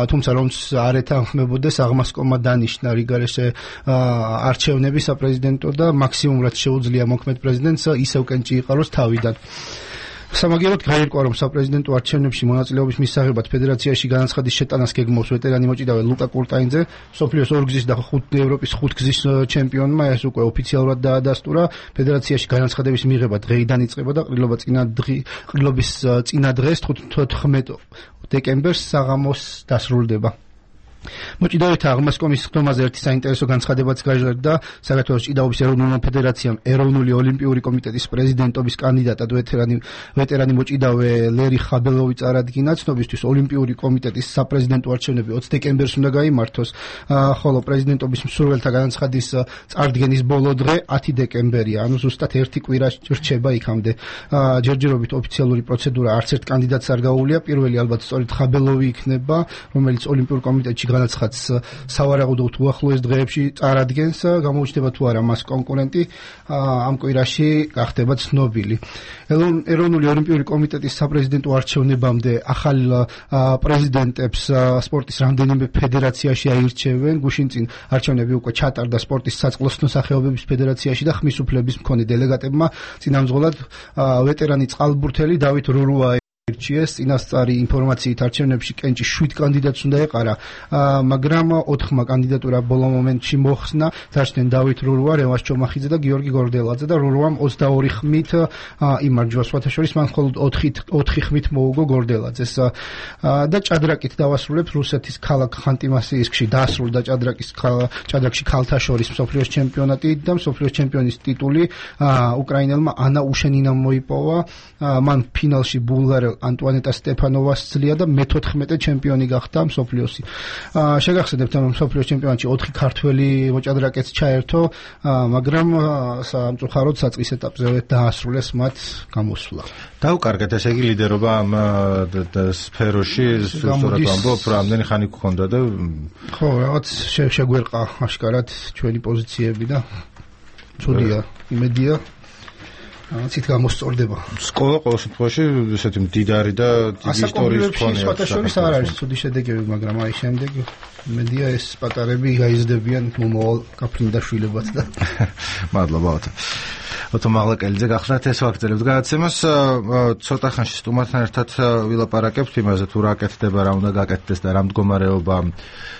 თუმცა რომც არ ეთანხმებოდეს, აღმასკომმა დანიშნა რიგგარეშე არჩევნები საპრეზიდენტო და მაქსიმუმ რაც შეუძლია მოქმედ პრეზიდენტს ისევ კენჭი იყაროს თავიდან. სამაგიეროდ გაირკვა, რომ საპრეზიდენტო არჩევნებში მონაწილეობის მისაღებად ფედერაციაში განაცხადის შეტანას გეგმავს ვეტერანი მოჭიდავე ლუკა კურტაინძე, მსოფლიოს ორგზის და ევროპის ხუთგზის ჩემპიონმა, ეს უკვე ოფიციალურად დაადასტურა. ფედერაციაში განაცხადების მიღება დღეიდან იწყება და ყრილობის წინა დღეს 14 დეკემბერს საღამოს დასრულდება. მოჭიდავეთა აღმასკომის ხდომაზე ერთი საინტერესო განცხადებაც გაჟღერდა. საქართველოს ჭიდაობის ეროვნულმა ფედერაციამ ეროვნული ოლიმპიური კომიტეტის პრეზიდენტობის კანდიდატად ვეტერანი მოჭიდავე ლერი ხაბელოვი წარადგინა. ცნობისთვის ოლიმპიური კომიტეტის საპრეზიდენტო არჩევნები 20 დეკემბერს უნდა გაიმართოს, ხოლო პრეზიდენტობის მსურველთა განაცხადის წარდგენის ბოლო დღე 10 დეკემბერია, ანუ ზუსტად ერთი კვირა რჩება იქამდე. ჯერჯერობით ოფიციალური პროცედურა არც ერთ კანდიდატს არ გაუვლია. პირველი ალბათ სწორედ ხაბელოვი იქნება, რომელიც ოლიმპიურ კომიტეტში განაცხადს სავარაუდოდ უახლოეს დღეებში წარადგენს, გამოუჩნდება თუ არა მას კონკურენტი ამ კვირაში გახდება ცნობილი. ეროვნული ოლიმპიური კომიტეტის საპრეზიდენტო არჩევნებამდე ახალ პრეზიდენტებს სპორტის რამდენიმე ფედერაციაში აირჩევენ. გუშინ წინ არჩევნები უკვე ჩატარდა სპორტის საწყლოსნო სახეობების ფედერაციაში და ხმის უფლების მქონე დელეგატებმა წინამძღოლად ვეტერანი წყალბურთელი დავით რურუა ირჩიეს. წინასწარი ინფორმაციით არჩევნებში კენჭი 7 კანდიდატს უნდა ეყარა, მაგრამ 4 კანდიდატურა ბოლო მომენტში მოხსნა. დარჩნენ დავით რურუა, რევას ჩომახიძე და გიორგი გორდელაძე და რურუამ 22 ხმით იმარჯვა. სხვათაშორის მან მხოლოდ 4 ხმით მოუგო გორდელაძეს. და ჭადრაკით დავასრულებთ რუსეთის ქალაქ ხანტი-მანსიისკში დასრულდა ჭადრაკში ქალთა შორის მსოფლიოს ჩემპიონატი და მსოფლიოს ჩემპიონის ტიტული უკრაინელმა ანა უშენინამ მოიპოვა. მან ფინალში ბულგარ ანტუანეტა სტეფანოვას ძლია და მე-14 ჩემპიონი გახდა მსოფლიოსი. შეგახსენებთ, რომ მსოფლიოს ჩემპიონატში 4 ქართველი მოჭადრაკეც ჩაერთო, მაგრამ სამწუხაროდ საწყის ეტაპზე დაასრულეს მათ გამოსვლა. დაუკარგეთ, ესე იგი ლიდერობა ამ სფეროში, სწორად ვამბობ, რამდენი ხანი გქონდა და ხო, რაღაც შეგვერყა აშკარად ჩვენი პოზიციები და ცუდია, იმედია ცით გამოსწორდება. სკოლა ყოველ შემთხვევაში ესეთი მდიდარი და დიდი ისტორიის მქონეა. სხვათაშორის არ არის ცუდი შედეგები, მაგრამ აი შემდეგ იმედია ეს პატარები გაიზრდებიან მომავალ გაფრინდაშვილებად და მადლობა. ото მაღლაკელიძე გახსნათ ეს ვაგრძელებთ გადაცემას. ცოტა ხანში სტუმართან ერთად ვილაპარაკებთ იმაზე თუ რა კეთდება, რა უნდა გაკეთდეს და რა მდგომარეობა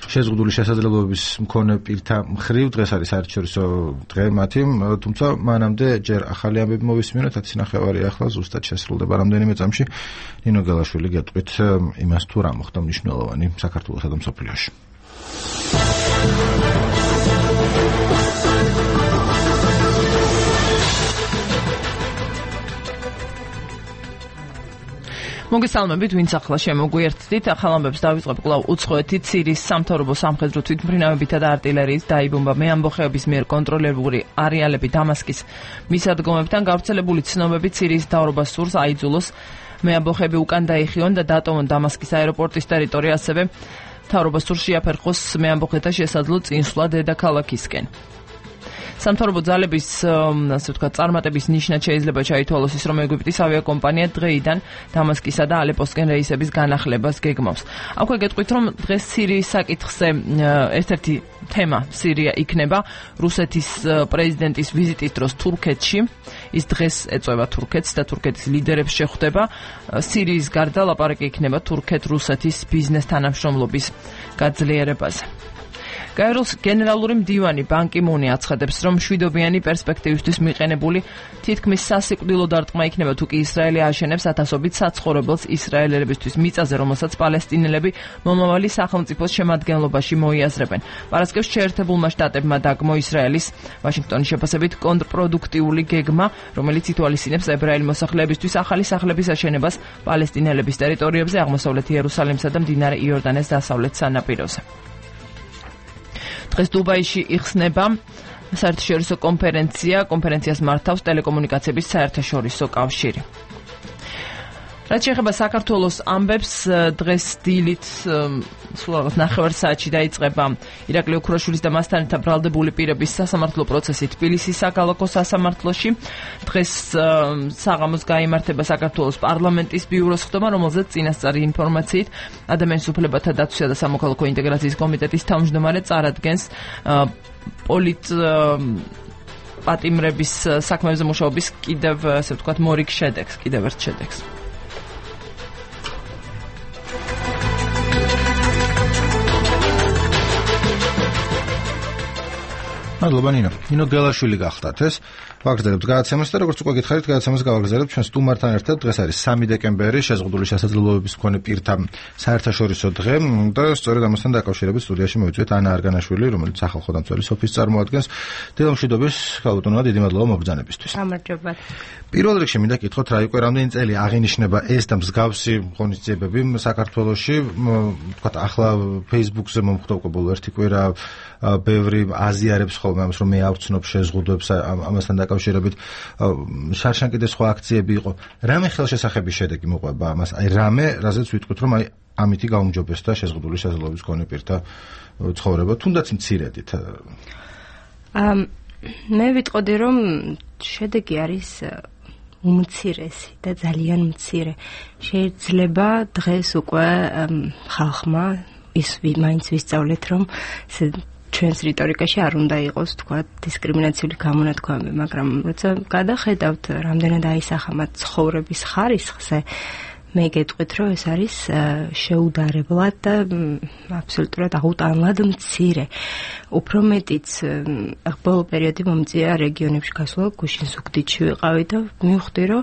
შეზღუდული შესაძლებლობების მქონე პირთა მხრივ. დღეს არის საერთაშორისო დღე მათი, თუმცა მანამდე ჯერ ახალი ამბები მოვისმინოთ, 10 ნახევარი ახლა ზუსტად შესრულდება რამდენიმე წამში. ნინო გელაშვილი გეტყვით იმას თუ რა მოხდა მნიშვნელოვანი საქართველოსა და მსოფლიოში. მოგესალმებით, ვინც ახლა შემოგვიერთდით. ახალ ამბებს დავიწყებ კვლავ უცხოეთით. სირიის სამთავრობო სამხედრო თვითმფრინავებითა და არტილერიით დაიბომბა მეამბოხეების მიერ კონტროლირებული არეალები დამასკის მისადგომებთან. გავრცელებული ცნობებით სირიის მთავრობას სურს აიძულოს მეამბოხეები უკან დაიხიონ და დატოვონ დამასკის აეროპორტის ტერიტორია, ასევე მთავრობას სურს შეაფერხოს მეამბოხეთა შესაძლო წინსვლა დედაქალაქისკენ. სამთავრობო ძალების, ასე ვთქვათ, წარმატების ნიშნად შეიძლება ჩაითვალოს ის, რომ ეგვიპტის ავიაკომპანია დღეიდან დამასკისა და ალეპოსკენ რეისების განახლებას გეგმავს. აქვე გეტყვით, რომ დღეს სირიის საკითხზე ერთ-ერთი თემა სირია იქნება რუსეთის პრეზიდენტის ვიზიტის დროს თურქეთში. ის დღეს ეწევა თურქეთს და თურქეთის ლიდერებს შეხვდება. სირიის გარდა ლაპარაკი იქნება თურქეთ-რუსეთის ბიზნეს თანამშრომლობის გაძლიერებაზე. გაეროს გენერალური მდივანი ბან კი მუნი აცხადებს, რომ მშვიდობიანი პერსპექტივისთვის მიყენებული თითქმის სასიკვდილო დარტყმა იქნება თუ კი ისრაელი აშენებს ათასობით საცხოვრებელს ისრაელელებისთვის მიწაზე, რომელსაც პალესტინელები მომავალი სახელმწიფოს შემადგენლობაში მოიაზრებენ. პარასკევს შეერთებულმა შტატებმა დაგმო ისრაელის ვაშინგტონის შეფასებით კონტრპროდუქტიული გეგმა, რომელიც ითვალისწინებს ებრაელი მოსახლეებისთვის ახალი სახლების აშენებას პალესტინელების ტერიტორიებზე, აღმოსავლეთ იერუსალიმსა და მდინარე იორდანეს დასავლეთ სანაპიროზე. დღეს დუბაიში იხსნება საერთაშორისო კონფერენციას მართავს ტელეკომუნიკაციების საერთაშორისო კავშირი. რაც შეეხება საქართველოს ამბებს, დღეს დილით სულ რაღაც ნახევარ საათში დაიწყება ირაკლი ოქროშვილის და მასთან ერთად ბრალდებული პირების სასამართლო პროცესი თბილისის საქალაქო სასამართლოში. დღეს საღამოს გაიმართება საქართველოს პარლამენტის ბიუროს ხდომა, რომელზეც წინასწარი ინფორმაციით ადამიანის უფლებათა დაცვისა და სამოქალაქო ინტეგრაციის კომიტეტის თავმჯდომარე წარადგენს პატიმრების საქმეებზე მუშაობის კიდევ, ასე ვთქვათ, მორიგ შედეგს, კიდევ ერთ შედეგს. მადლობა ნინო. ნინო გელაშვილი გახდათ ეს. ვაგრძელებთ გადაცემას და როგორც უკვე გითხარით, გადაცემას გავაგრძელებთ ჩვენ სტუმართან ერთად. დღეს არის 3 დეკემბერი, შეზღუდული შესაძლებლობების მქონე პირთა საერთაშორისო დღე და სწორედ ამასთან დაკავშირებით სტუდიაში მოვიწვიეთ ანა არგანაშვილი, რომელიც სახალხო დამცველის ოფისს წარმოადგენს. დილამშვიდობის, ქალბატონო, დიდი მადლობა მოგბრძანებისთვის. გამარჯობათ. პირველ რიგში მინდა გითხოთ, რა იყო რამდენი წელი აღინიშნება ეს და მსგავსი ღონისძიებები საქართველოში, ვთქვათ, ახლა Facebook-ზე მომხდობ ერთი კვირა ბევრი აზიარებს ხოლმე ამას, რომ მე არ ვცნობ შეზღუდვებს ამასთან დაკავშირებით. შარშან კიდე სხვა აქციები იყო. რამე ხელშესახების შედეგი მოყვება ამას? აი რამე, რაზეც ვიტყვით, რომ აი ამითი გაუმჯობესდა შეზღუდული შესაძლებლობის მქონე პირთა ცხოვრება, თუნდაც მცირედით. მე ვიტყოდი, რომ შედეგი არის უმცირესი და ძალიან მცირე. შეიძლება დღეს უკვე ხალხმა ის მაინც ვისწავლეთ, რომ ჩვენს რიტორიკაში არ უნდა იყოს, თქვა, დისკრიმინაციული გამონათქვამი, მაგრამ როცა გადახედავთ, რამდენად აისახა ცხოვრების ხარისხზე, მე გეტყვით, რომ ეს არის შეუდარებლად და აბსოლუტურად აუტანლად მცირე. უფრო მეტიც ბოლო პერიოდი მომწია რეგიონებში გასვლა, გუშინ ზუგდიდში ვიყავი და მივხვდი, რომ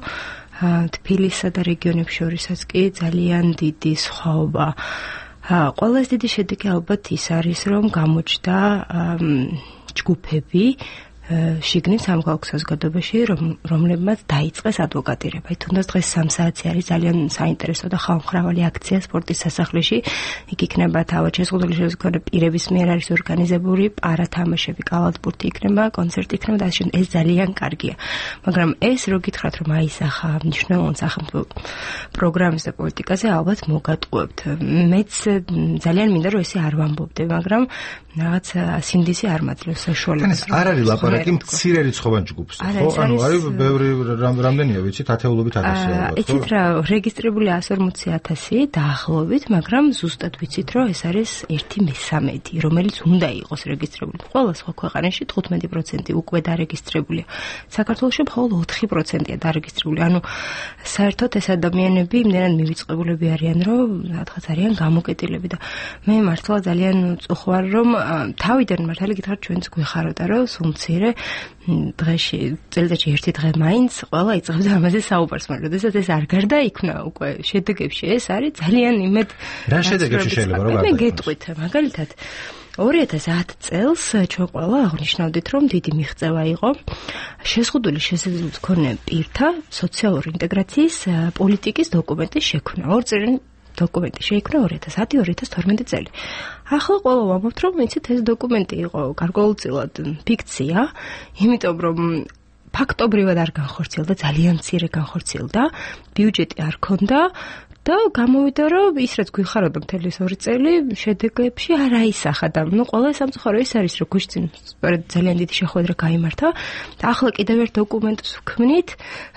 თბილისსა და რეგიონებს შორისაც კი ძალიან დიდი სხვაობა. ყველაზე დიდი შედეგი ალბათ ის არის, რომ გამოჩნდა ჯგუფები, შიგნით სამოქალაქო საზოგადოებაში, რომლებმაც დაიწყეს ადვოკატირება. თუნდაც დღეს 3 საათი არის ძალიან საინტერესო და ხალხმრავალი აქცია სპორტის სასახლეში. იქ იქნება თავად შეზღუდული შემთხვევაში პირების მიერ არის ორგანიზებული პარათამაშები, კალათბურთი იქნება, კონცერტი იქნება და ასე ეს ძალიან კარგია. მაგრამ ეს რო გითხრათ რომ აისახა მნიშვნელოვან სახელმწიფო პროგრამის და პოლიტიკაზე ალბათ მოგატყუებთ. მეც ძალიან მინდა რომ ესე არ ვამბობდე, მაგრამ რაღაც სინდისი არ მაძლევს საშუალებას. არ არის ლაპარაკი მცირე რიცხოვან ჯგუფს, ხო? ანუ არის ბევრი რამდენია ვიცით, ათეულობით ათასია ალბათ. იცით რა, რეგისტრირებული 140,000 დაახლოებით, მაგრამ ზუსტად ვიცით რომ ეს არის 1/13, რომელიც უნდა იყოს რეგისტრირებული. ყველა სხვა ქვეყანაში 15% უკვე დარეგისტრირებულია. საქართველოში მხოლოდ 4%-ია დარეგისტრირებული. ანუ საერთოდ ეს ადამიანები იმდენად მივიწყებულები არიან, რომ რაღაც არიან გამოკეტილები და მე მართლა ძალიან წუხوار რომ თავიდან მართალი გითხრათ ჩვენც გვეხაროდა რომ სულ მცირე დღეში წელიწადში ერთი დღე მაინც ყველა იწყებდა ამაზე საუბარს, მაგრამ როდესაც ეს არ გარდაიქმნა უკვე შედეგებში ეს არის ძალიან იმედ რა შედეგებში შეიძლება რომ მე გეტყვით მაგალითად 2010 წელს ჩვენ ყველა აღნიშნავდით რომ დიდი მიღწევა იყო შეზღუდული შესაძლებლობის მქონე პირთა სოციალური ინტეგრაციის პოლიტიკის დოკუმენტის შექმნა. ორწლიანი დოკუმენტი შეიქმნა 2010-2012 წელი. ახლა ყველა ვამბობთ რომ იცით ეს დოკუმენტი იყო გარკვეულწილად ფიქცია, იმიტომ რომ ფაქტობრივად არ განხორციელდა, ძალიან მცირე განხორციელდა, ბიუჯეტი არ ქონდა და გამოვიდა რომ ის რაც გვიხაროდა მთელი 2 წელი შედეგებში არ აისახა და ნუ ყველა სამწუხარო ის არის რომ გუშინ ძალიან დიდი შეხვედრა გაიმართა და ახლა კიდევ ერთ დოკუმენტს ვქმნით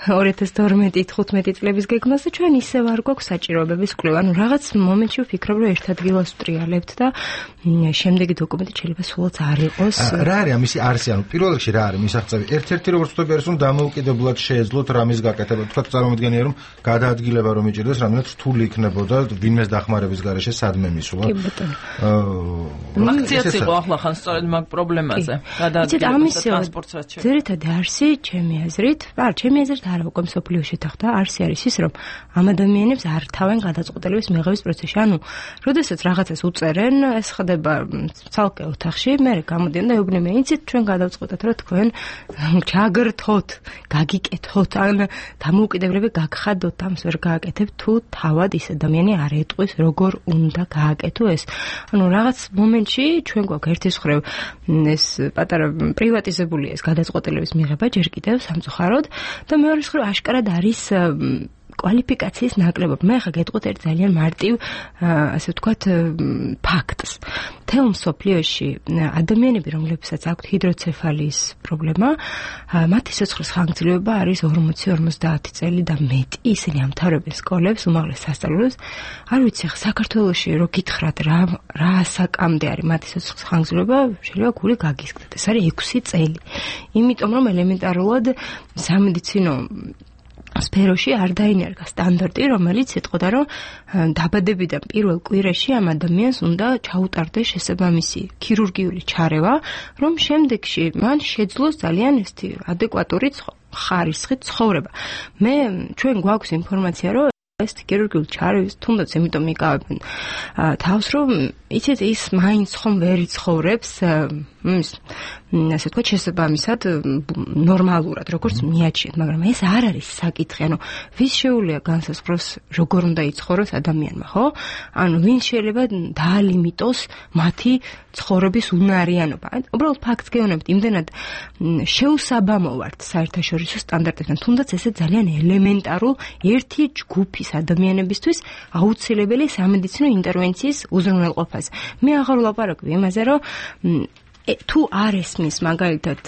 2012-15 წლების გეგმას და ჩვენ ისევ არ გვაქვს საჭიროებების კვლევა. ანუ რაღაც მომენტში ვფიქრობ რომ ერთ ადგილას ვტრიალებთ და შემდეგი დოკუმენტი შეიძლება სულაც არ იყოს. რა არის ამისი არსი? ანუ პირველ რიგში რა არის მისაღწევი? ერთ-ერთი როგორც ვთქვი არის რომ დამოუკიდებლად შეეძლოთ რამის გაკეთება. თქვა წარმომადგენია რომ გადაადგილება რომ იჭირდეს რამდენად რთული იქნებოდა ვინმეს დახმარების გარეშე სადმე მისვლა. აქციაც იყო ახლა ხან სწორედ მაგ პრობლემაზე. გადაადგილება ტრანსპორტსაცი. ძირითადი არსი ჩემი აზრით, ჩემი აზრით არა უკვე მსოფლიოში თახდა, არსი არის ის რომ ამ ადამიანებს არ თავენ გადაწყვეტილების მიღების პროცესში. ანუ, როდესაც რაღაცას უწერენ, ეს ხდება ცალკე ოთახში, მე გამოდიან და ეუბნებიან, იცით, ჩვენ გადავწყვეტეთ, რომ თქვენ ჩაგრთოთ, გაგიკეთოთ, ან დამოუკიდებლები გაგხადოთ, ამს ვერ გააკეთებთ, თუ თავად ის ადამიანი არ ეტყვის, როგორ უნდა გააკეთო ეს. ანუ რაღაც მომენტში ჩვენ გვაქვს ერთის მხრივ ეს პატარა პრივატიზებულია ეს გადაწყვეტილების მიღება ჯერ კიდევ სამწუხაროდ და მეორეს მხრივ აშკარად არის კვალიფიკაციის ნაკლებობა. მე ახლა გეტყვით ერთ ძალიან მარტივ, ასე ვთქვათ, ფაქტს. თელ მსოფლიოში ადამიანები, რომლებსაც აქვთ ჰიდროცეფალიის პრობლემა, მათი სიცოცხლის ხანგრძლივობა არის 40-50 წელი და მეტი. ისინი ამთავრებენ სკოლებს, უმაღლეს სასწავლებლებს. არ ვიცი, საქართველოში რო გითხრათ რა ასაკამდე არის მათი სიცოცხლის ხანგრძლივობა, შეიძლება გული გაგისკდეთ. ეს არის 6 წელი. იმიტომ რომ ელემენტარულად სამედიცინო სფეროში არ დაინერგა სტანდარტი, რომელიც ეთყოდა, რომ დაბადებიდან პირველ კვირაში ამ ადამიანს უნდა ჩაუტარდეს შესაბამისი ქირურგიული ჩარევა, რომ შემდეგში მან შეძლოს ძალიან ესეთი ადეკვატური ხარისხით ცხოვრება. ჩვენ გვაქვს ინფორმაცია, რომ ეს ქირურგიული ჩარევის თუნდაც იმიტომ იკავებენ თავს, რომ იცით ის მაინც ხომ ვერ იცხოვრებს ასე ვთქვათ შესაბამისად ნორმალურად როგორც მიაჩნიათ, მაგრამ ეს არ არის საკითხი. ანუ ვის შეუძლია განსაზღვროს როგორ უნდა იცხოვროს ადამიანმა, ხო? ანუ ვინ შეიძლება დაალიმიტოს მათი ცხოვრების უნარიანობა. უბრალოდ ფაქტს გეუბნებით, იმდენად შეუსაბამო ვართ საერთაშორისო სტანდარტებთან, თუნდაც ესე ძალიან ელემენტარულ ერთი ჯგუფის ადამიანებისთვის აუცილებელი სამედიცინო ინტერვენციის უზრუნველყოფაზე. მე აღარ ვლაპარაკობ იმაზე, რომ თუ არ ესმის მაგალითად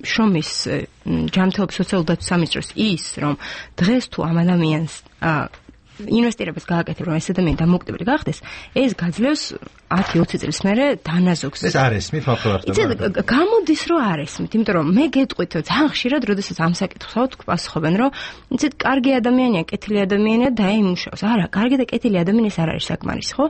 შრომის ჯანმრთელობის სოციალური დაცვის სამინისტროს ის, რომ დღეს თუ ამ ადამიანს ინვესტირებას გააკეთებ, რომ ეს ადამიანი დამოუკიდებელი გახდეს, ეს გაძლევს 10-20 წელს მერე დანაზოგს. ეს არ ესმით მახვილარდება. იცით, გამოდის რომ არ ესმით, იმიტომ რომ მე გეტყვით, ძალიან ხშირად, როდესაც ამ საკითხს პასუხობენ, რომ იცით, კარგი ადამიანია, კეთილი ადამიანია, დაიმუშავს. არა, კარგი და კეთილი ადამიანი ეს არ არის საკმარისი, ხო?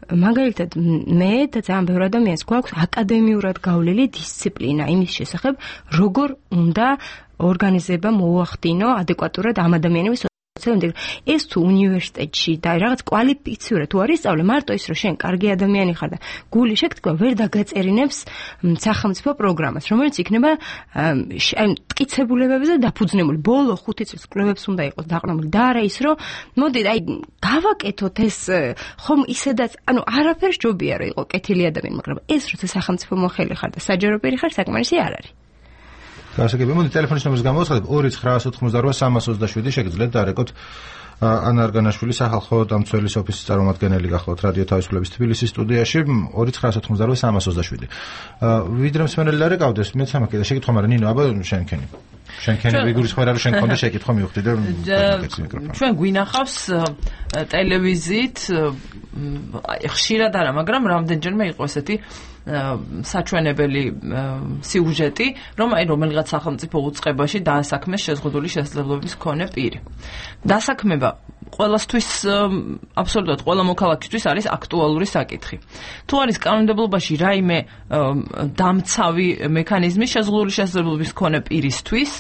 მაგალითად, მე და ძალიან ბევრი ადამიანს გვაქვს აკადემიურად გავლილი დისციპლინა იმის შესახებ, როგორ უნდა ორგანიზება მოუახდინო ადეკვატურად ამ ადამიანების ეს თუ უნივერსიტეტში და რაღაც კვალიფიციური თუ არის სწავლე მარტო ის რომ შენ კარგი ადამიანი ხარ და გული შეგთქვა ვერ დაგაწერინებს სახელმწიფო პროგრამას რომელიც იქნება აი მტკიცებულებებზე დაფუძნებული ბოლო 5 წლის კვლევებს უნდა იყოს დაყრდნობილი და არა ის რომ მოდი აი გავაკეთოთ ეს ხომ ისედაც ანუ არაფერს ჯობია რომ იყო კეთილი ადამიანი მაგრამ ეს როცა სახელმწიფო მოხელი ხარ და საჯარო პირი ხარ საკმარისი არ არის გასაგებია მოდი ტელეფონის ნომერს გამოვაცხადებ 2988 შეგიძლიათ დარეკოთ ანა არგანაშვილი სახალხო დამცველის ოფისის წარმომადგენელი გახლავთ რადიო თავისუფლების თბილისის სტუდიაში 2988 ვიდრე მსმენელი დარეკავდეს მეც ამაკი და შეკითხვა მაგრამ ნინო აბა შენქენი ვიგურის ხმარა რომ შენ კონდა შეკითხვა მივხვდი და ჩვენ გვინახავს ტელევიზიით ხშირად არა მაგრამ რამდენჯერმე იყო ესეთი საჩვენებელი სიუჟეტი, რომ აი რომელიღაც სახელმწიფო უწყებაში დაასაქმეს შეზღუდული შესაძლებლობების მქონე პირი. დასაქმება ყველასთვის აბსოლუტურად ყველა მოქალაქისთვის არის აქტუალური საკითხი. თუ არის კანონმდებლობაში რაიმე დამცავი მექანიზმი შეზღუდული შესაძლებლობების მქონე პირისთვის,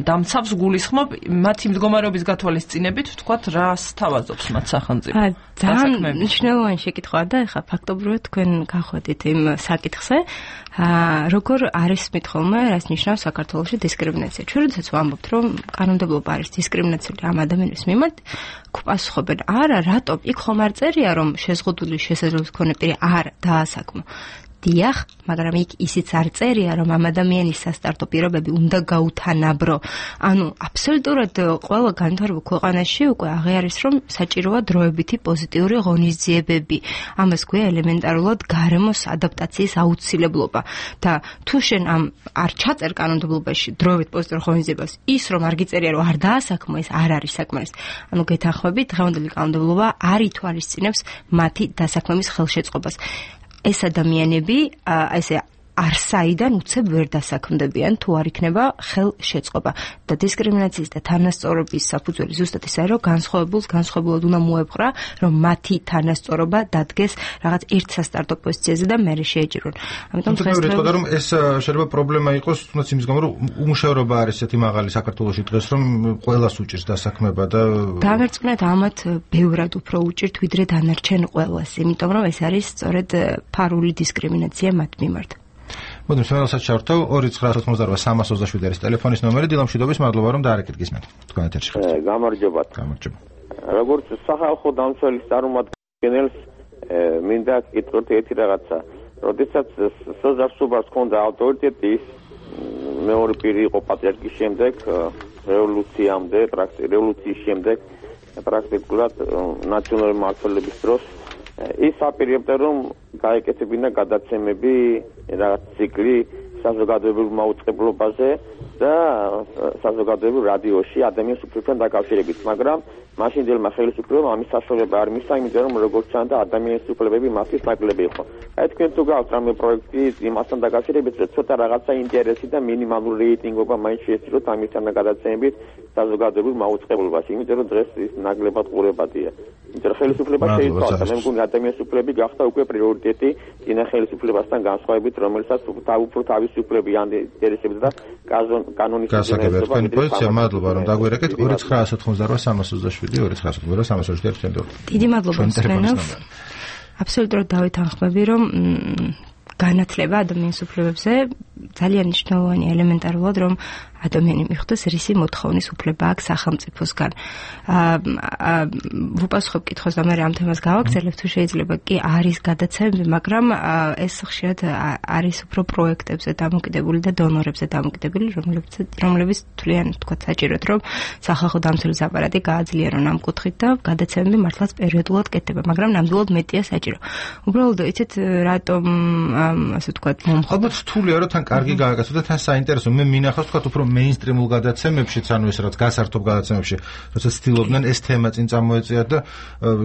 დამცავს გულისხმობ მათი მდგომარეობის გათვალისწინებით, ვთქვათ, რას თავაზობს მათ სახელმწიფო. ძალიან მნიშვნელოვანი შეკითხვაა და ეხლა ფაქტობრივად თქვენ გახვედით იმ საკითხზე, როგორ არის მithome, რას ნიშნავს საქართველოში დისკრიმინაცია. ჩვენ როდესაც ვამბობთ, რომ კანონმდებლობა არის დისკრიმინაციული ამ ადამიანის მიმართ, გვპასუხობენ, არა, რატომ? იქ ხომ არ წერია, რომ შეზღუდული შესაძლებლობის მქონე პირი არ დაასაქმო. დიახ, მაგრამ იქ ისიც არ წერია, რომ ამ ადამიანის სასტარტო პირობები უნდა გაუთანაბრო. ანუ აბსოლუტურად ყველა განვითარებულ ქვეყანაში უკვე აღიარეს, რომ საჭიროა დროებითი პოზიტიური ღონისძიებები. ამას გვია ელემენტარულად გარემოს ადაპტაციის აუცილებლობა. და თუ შენ არ ჩაწერ კანონმდებლობაში დროებით პოზიტიურ ღონისძიებას, ის რომ არ გიწერია, რომ არ დაასაქმო, ეს არ არის საკმარისი. ანუ გეთანხმებით, დღევანდელი კანონმდებლობა არ ითვალისწინებს მათი დასაქმების ხელშეწყობას. ეს ადამიანები ესე არსაიდან უცებ ვერ დასაქმდებიან თუ არ იქნება ხელშეწყობა და დისკრიმინაციის და თანასწორობის საფუძველი ზუსტად ისაა რომ განსხვავებულად უნდა მოეპყრა რომ მათი თანასწორობა დადგეს რაღაც ერთ სასტარტო პოზიციაზე და მერე შეეჭირონ. ამიტომ დღეს რომ ეს შეიძლება პრობლემა იყოს თუნდაც იმის გამო რომ უმუშევრობა არის ესეთი მაღალი საქართველოში დღეს რომ ყველას უჭირს დასაქმება და დამერწმუნეთ ამათ ბევრად უფრო უჭირთ ვიდრე დანარჩენ ყველას იმიტომ რომ ეს არის სწორედ ფარული დისკრიმინაცია მათ მიმართ. მოდით შემოვალსაც ჩავრთავ 2988 არის ტელეფონის ნომერი დილამშვიდობის მადლობა რომ დაარეკეთ გისმენთ თქვენ ეთერში ხართ გამარჯობათ როგორც სახალხო დამცველის წარმომადგენელს მინდა გითხრათ ერთი რაღაცა როდესაც სოძარსუბას ჰქონდა ავტორიტეტი მეორე პირი იყო პატრიარქის შემდეგ რევოლუციის შემდეგ პრაქტიკულად ნაციონალური მმართველობის დროს ის აპირებდა რომ გაეკეთებინა გადაცემები რაღაც ციკლი საზოგადოებრივ მაუწყებლობაზე და საზოგადოებრივ რადიოში ადამიანის უფლებთან დაკავშირებით, მაგრამ მაშინდელმა ხელისუფლებამ ამის საშუალება არ მისცა, იმიტომ რომ როგორც ჩანდა ადამიანის უფლებები მათთვის ნაკლები იყო. აი თქვენ თუ გაქვთ რამე პროექტი იმასთან დაკავშირებით, რომ ცოტა რაღაცა ინტერესი და მინიმალური რეიტინგობა მაინც შეესწროთ ამისთან გადაცემებით საზოგადოებრივ მაუწყებლობაში, იმიტომ რომ დღეს ის ნაკლებად ყურებადია. იმიტომ რომ ხელისუფლება შეიცვალა, მე მგონი ადამიანის უფლებები გახდა უკვე პრიორიტეტი წინა ხელისუფლებასთან განსხვავებით, რომელსაც უფრო თავისი უფლებები ან ინტერესები და კანონის გასაგებია პოზიცია მადლობა რომ დაგვერეკეთ 2988 დიდი მადლობა მსმენელს აბსოლუტურად დავითანხმები რომ განათლება ადამიანის უფლებებზე ძალიან მნიშვნელოვანი ელემენტარულად რომ ადამიანი მიხვდეს რისი მოთხოვნის უფლება აქვს სახელმწიფოსგან. ვუპასუხებ კითხვას და მე ამ თემას გავაგრძელებ თუ შეიძლება კი არის გადაცემები, მაგრამ ეს ხშირად არის უფრო პროექტებზე დამოკიდებული და დონორებზე დამოკიდებული, რომლებიც თვლიან თქვა საჭიროდ რომ სახალხო დამცველის აპარატი გააძლიერონ ამ კუთხით და გადაცემები მართლაც პერიოდულად კეთდება, მაგრამ ნამდვილად მეტია საჭირო. უბრალოდ იცით რატომ ასე თქვა ალბათ რთულია რომ თან კარგი გააკეთო და თან საინტერესო მე მინახავს თქვა უფრო მეინსტრიმულ გადაცემებშიც, ანუ ეს რაც გასართობ გადაცემებში, როდესაც ცდილობდნენ ეს თემა წინ წამოეწიათ და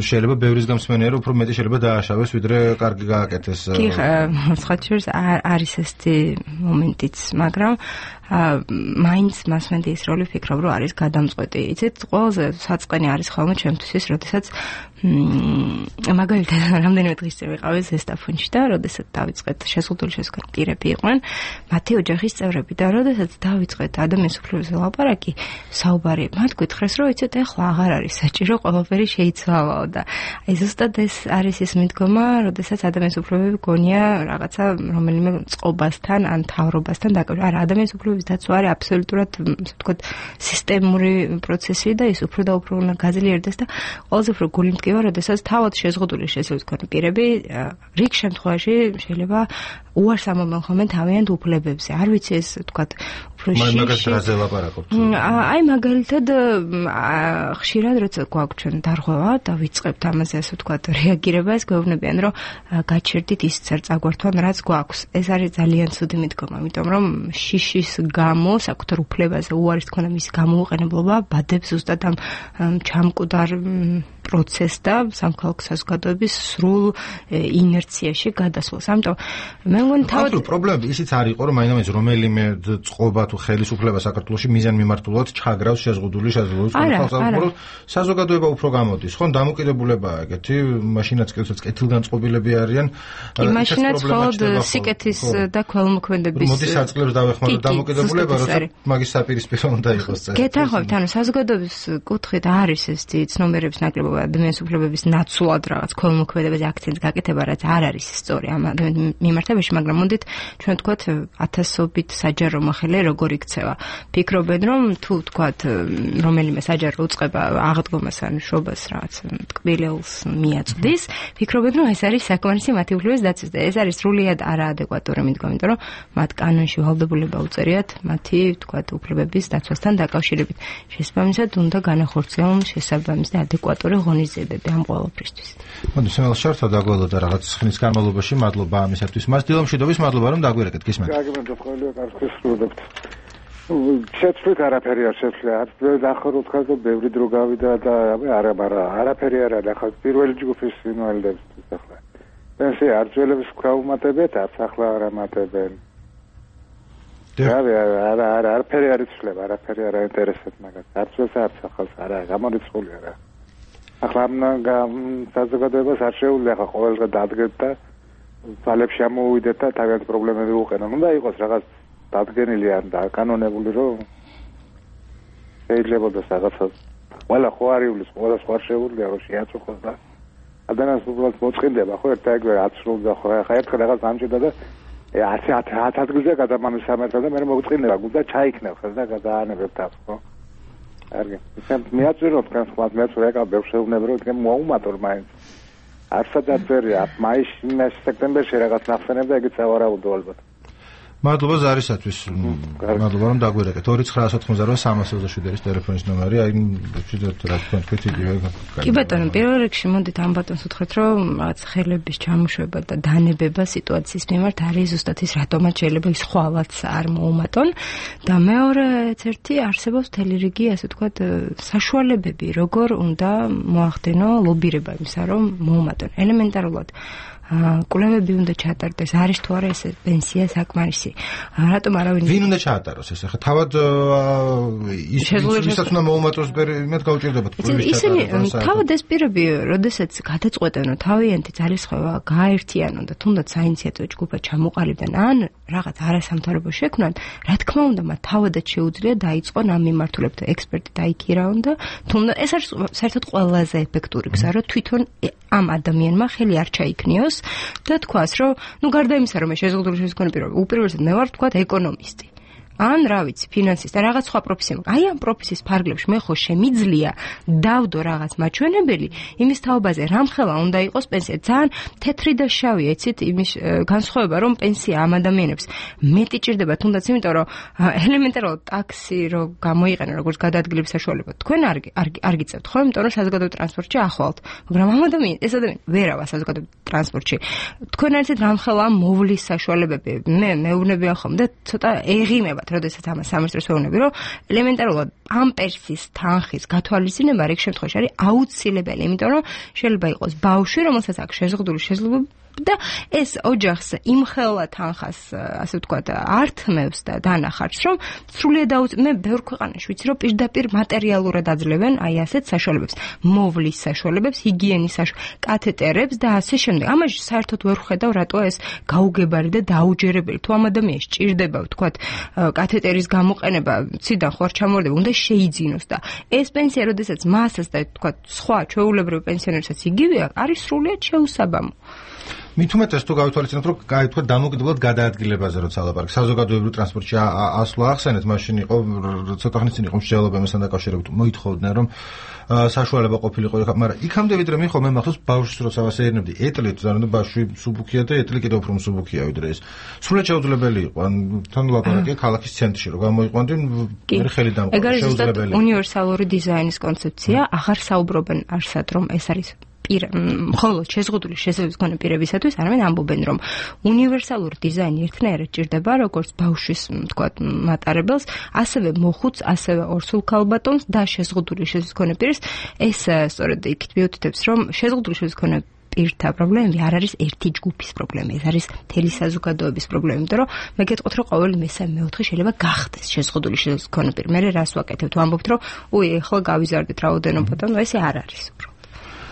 შეიძლება ბევრის გამსმენია, რომ უფრო მეტი შეიძლება დააშავეს, ვიდრე კარგი გააკეთეს. კი, სხვათა არის ესეთი მომენტიც, მაგრამ მაინც მასმედიის როლი ვფიქრობ, რომ არის გადამწყვეტი. იცით, ყველაზე საწყენი არის ხოლმე ჩემთვის ის, როდესაც მაგალითად რამდენიმე დღის წინ ვიყავი ზესტაფონში და როდესაც დავიწყეთ შეზღუდული შესაძლებლობები იყვნენ მათი ოჯახის წევრები და როდესაც დავიწყეთ ადამიანის უფლებებზე ლაპარაკი, საუბარი, მათ გითხრეს, რომ იცით, ეხლა აღარ არის საჭირო ყველაფერი შეიცვალაო და აი ზუსტად ეს არის ის მიდგომა, როდესაც ადამიანის უფლებები გონია რაღაცა რომელიმე წყობასთან ან თავრობასთან დაკავშირებული. არა, ადამიანის უფლებების დაცვა არის აბსოლუტურად, ასე ვთქვათ, სისტემური პროცესი და ის უფრო და უფრო უნდა გაძლიერდეს და ყველაზე უფრო გული მტკივა, როდესაც თავად შეზღუდული შესაძლოა თქვენ პირები რიგ შემთხვევაში შეიძლება უარს ამობენ ხოლმე თავიანთ უფლებებზე. არ ვიცი ეს ვთქვათ უფრო აი მაგალითად ხშირად როცა გვაქვს ჩვენ დარღვევა და ვიწყებთ ამაზე ასე ვთქვათ რეაგირება, ეს გვეუბნებიან რომ გაჩერდით ის წარწაგვართვან რაც გვაქვს. ეს არის ძალიან ცუდი მიდგომა, იმიტომ რომ შიშის გამო საკუთარ უფლებაზე უარის თქონა მის გამოუყენებლობა ბადებს ზუსტად ამ ჩამკვდარ პროცესს და სამხალხო საზოგადოების სრულ ინერციაში გადასვლას. ამიტომ მე მგონი თავად პრობლემები ისიც არ იყო, რომ მაინც რომელიმე წყობა თუ ხელისუფლება საქართველოში მიზანმიმართულად ჩაგრავს შეზღუდული შესაძლებლობის ხალხსაუბრო საზოგადოება უფრო გამოდის. ხო, დამოკიდებულებაა ეგეთი, მაშინაც კეთილგანწყობილები არიან. იმაშინაც მხოლოდ სიკეთის და ქველმოქმედების მოდის საწყლებს დავეხმაროთ დამოკიდებულება, როცა მაგის საპირისპირო უნდა იყოს წესი. გეთანხმებით, ანუ საზოგადოების კუთხით არის ეს ცნობიერების ნაკლებობა ადამიანის უფლებების ნაცვლად რაღაც ქველმოქმედებაზე აქცენტს გაკეთება, რაც არ არის სწორი ამ მიმართებაში, მაგრამ მოდით ჩვენ ვთქვათ ათასობით საჯარო მოხელე როგორ იქცევა. ფიქრობენ რომ თუ ვთქვათ რომელიმე საჯარო უწყება აღდგომას ან შობას რაღაც ტკბილელს მიაწვდის, ფიქრობენ რომ ეს არის საკმარისი მათი უფლებების დაცვის და ეს არის სრულიად არაადეკვატური მიდგომა, იმიტომ რომ მათ კანონში ვალდებულება უწერიათ მათი ვთქვათ უფლებების დაცვასთან დაკავშირებით. შესაბამისად უნდა განახორციელონ შესაბამისი და ადეკვატური ღონისძიებები ამ ყველაფრისთვის. მოდი შემელს შორტა დაგველოდა რაღაც ხნის განმავლობაში, მადლობა ამისათვის. მას დილომშვიდობის მადლობა რომ დაგვირეკეთ, გისმენთ. გაგიმედოთ ყველა კარგს ვსრულებთ. შეცვლით არაფერი არ შეცვლა. ახლა თქვა რომ ბევრი დრო გავიდა და არაფერი არ არის. ახლა პირველი ჯგუფის ინვალიდებისთვის ახლა. პენსია არწველების ქვაუმატებეთ, ახლა არ ამატებენ. არაფერი არ იცვლება, არაფერი არ აინტერესებს მაგას. არწველს არც ახალს არა, გამორიცხული არა. ახლა ამ საზოგადოებას არ შეუძლია ახლა ყოველდღე დადგეთ და ძალებში ამოვიდეთ და თავიანთი პრობლემები უყენონ. უნდა იყოს რაღაც დადგენილი ან დაკანონებული, რომ შეიძლება რაღაცა ყველა ხო არ იulis, ყველა სხვა შეუძლია რომ შეაწუხოს და ადამიანს უბრალოდ მოწყინდება, ხო ერთ ეგრე აცრულდა ხო ახლა ერთხელ რაღაც ამჭირდა და 10 ადგილზე გადამამისამერთა და მე მოგწყინდება, გუნდა ჩაიქნევ ხელ და გადაანებებ თავს, ხო? კარგი. ისე მეაწვიროთ თქვენ სხვა მეაწვირე აკა ბევრ შეუძლებ რომ თქვენ მოუმატოთ მაინც. არცადაც ვერია, მაისში, სექტემბერში რაღაც ნახსენებ და ეგეც ავარაუდო ალბათ. მადლობა ზარისათვის. მადლობა რომ დაგვირეკეთ. 2988 327 ტელეფონის ნომერი, აი ვჭიდოთ რა თქვენ თქვით იგივე. კი ბატონო, პირველ რიგში მოდით ამ ბატონს უთხრეთ, რომ რაღაც ხელების ჩამოშვება და დანებება სიტუაციის მიმართ არის ზუსტად ის, რატომაც შეიძლება ის ხვალაც არ მოუმატონ და მეორეც ერთი არსებობს მთელი რიგი, ასე ვთქვათ, საშუალებები, როგორ უნდა მოახდენო ლობირება იმისა, რომ მოუმატონ. ელემენტარულად კვლევები უნდა ჩატარდეს, არის თუ არა ეს პენსია საკმარისი. რატომ არავინ ვინ უნდა ჩაატაროს ეს? ახლა თავად ისაც უნდა მოუმატოს იმედ გაუჭირდებათ კვლევის ჩატარებას. თავად ეს პირები, როდესაც გადაწყვეტენ, თავიანთი ძალისხმევა გააერთიანონ და თუნდაც საინიციატივო ჯგუფად ჩამოყალიბდნენ, ან რაღაც არასამთავრობო შექმნან, რა თქმა უნდა, მათ თავადაც შეუძლია დაიწყონ ამ მიმართულებით ექსპერტი დაიქირავონ და თუნდაც ეს არის საერთოდ ყველაზე ეფექტური გზა, რომ თვითონ ამ ადამიანმა ხელი არ ჩაიქნიოს და თქვას, რომ გარდა იმისა, რომ მე შეზღუდული შემდგომი პირობა, უპირველესად მე ვარ თქვათ ეკონომისტი. ან რა ვიცი, ფინანსისტი და რაღაც სხვა პროფესია. აი ამ პროფესიის ფარგლებში მე ხო შემიძლია დავდო რაღაც მაჩვენებელი იმის თაობაზე, რამხელა უნდა იყოს პენსია. ძალიან თეთრი და შავია, იცით, იმის განსხვავება, რომ პენსია ამ ადამიანებს მეტი ჭირდება, თუნდაც იმიტომ, რომ ელემენტარულად ტაქსი რო გამოიყენა როგორც გადაადგილების საშუალება. თქვენ არ გიწევთ, ხო? იმიტომ რომ საზოგადოებრივ ტრანსპორტში ახვალთ. მაგრამ ამ ეს ადამიანი ვერავა საზოგადოებრივ ტრანსპორტში. თქვენ არიცით რამხელა მოვლის საშუალებები. მე მეუბნებიან ხომ და ცოტა ეღიმება როდესაც ამას სამეცნიერო ვეუბნები, რომ ელემენტარულად ამ პენსიის თანხის გათვალისწინება რიგ შემთხვევაში არის აუცილებელი, იმიტომ რომ შეიძლება იყოს ბავშვი, რომელსაც აქვს შეზღუდული შესაძლებლობა და ეს ოჯახს იმხელა თანხას ასე ვთქვათ ართმევს და დანახარს რომ სრულიად მე ბევრ ქვეყანაში ვიცი რომ პირდაპირ მატერიალურად აძლევენ აი ასეთ საშუალებებს მოვლის საშუალებებს ჰიგიენის კათეტერებს და ასე შემდეგ ამაში საერთოდ ვერ ხედავ რატო ეს გაუგებარი და დაუჯერებელი თუ ამ ადამიანს ჭირდება ვთქვათ კათეტერის გამოყენება ციდან ხო არ ჩამორდება უნდა შეიძინოს და ეს პენსია როდესაც მასას და ვთქვათ სხვა ჩვეულებრივ პენსიონერსაც იგივეა არის სრულიად შეუსაბამო მით უმეტეს თუ გავითვალისწინებთ რომ გაითქვა დამოკიდებულად გადაადგილებაზე როცა ლაპარაკი საზოგადოებრივ ტრანსპორტში ასვლა ახსენეთ მაშინ იყო ცოტა ხნის წინ იყო მსჯელობა მასთან დაკავშირებით მოითხოვდნენ რომ საშუალება ყოფილიყო მაგრამ იქამდე ვიდრე მიხო მე მახსოვს ბავშვს როცა ვასეირნებდი ეტლით ზანდა ბავშვი მსუბუქია და ეტლი კიდევ უფრო მსუბუქია ვიდრე ეს სრულიად შეუძლებელი იყო ან თან ლაპარაკია ქალაქის ცენტრში რომ გამოიყვანდი მე ხელი დამყარა შეუძლებელი უნივერსალური დიზაინის კონცეფცია აღარ საუბრობენ არსად რომ ეს არის მხოლოდ შეზღუდული შესაძლებლობის მქონე პირებისათვის არამედ ამბობენ რომ უნივერსალური დიზაინი ერთნაირად ჭირდება როგორც ბავშვის თქვათ მატარებელს ასევე მოხუც ასევე ორსულ ქალბატონს და შეზღუდული შესაძლებლობის მქონე პირს ეს სწორედ იქით მიუთითებს რომ შეზღუდული შესაძლებლობის მქონე პირთა პრობლემები არ არის ერთი ჯგუფის პრობლემა ეს არის მთელი საზოგადოების პრობლემა იმიტომ რომ მე გეტყვით რომ ყოველი მესამე მეოთხე შეიძლება გახდეს შეზღუდული შესაძლებლობის მქონე პირი მე რას ვაკეთებ თუ ამბობთ რომ ეხლა გავიზარდეთ რაოდენობა და ეს არ არის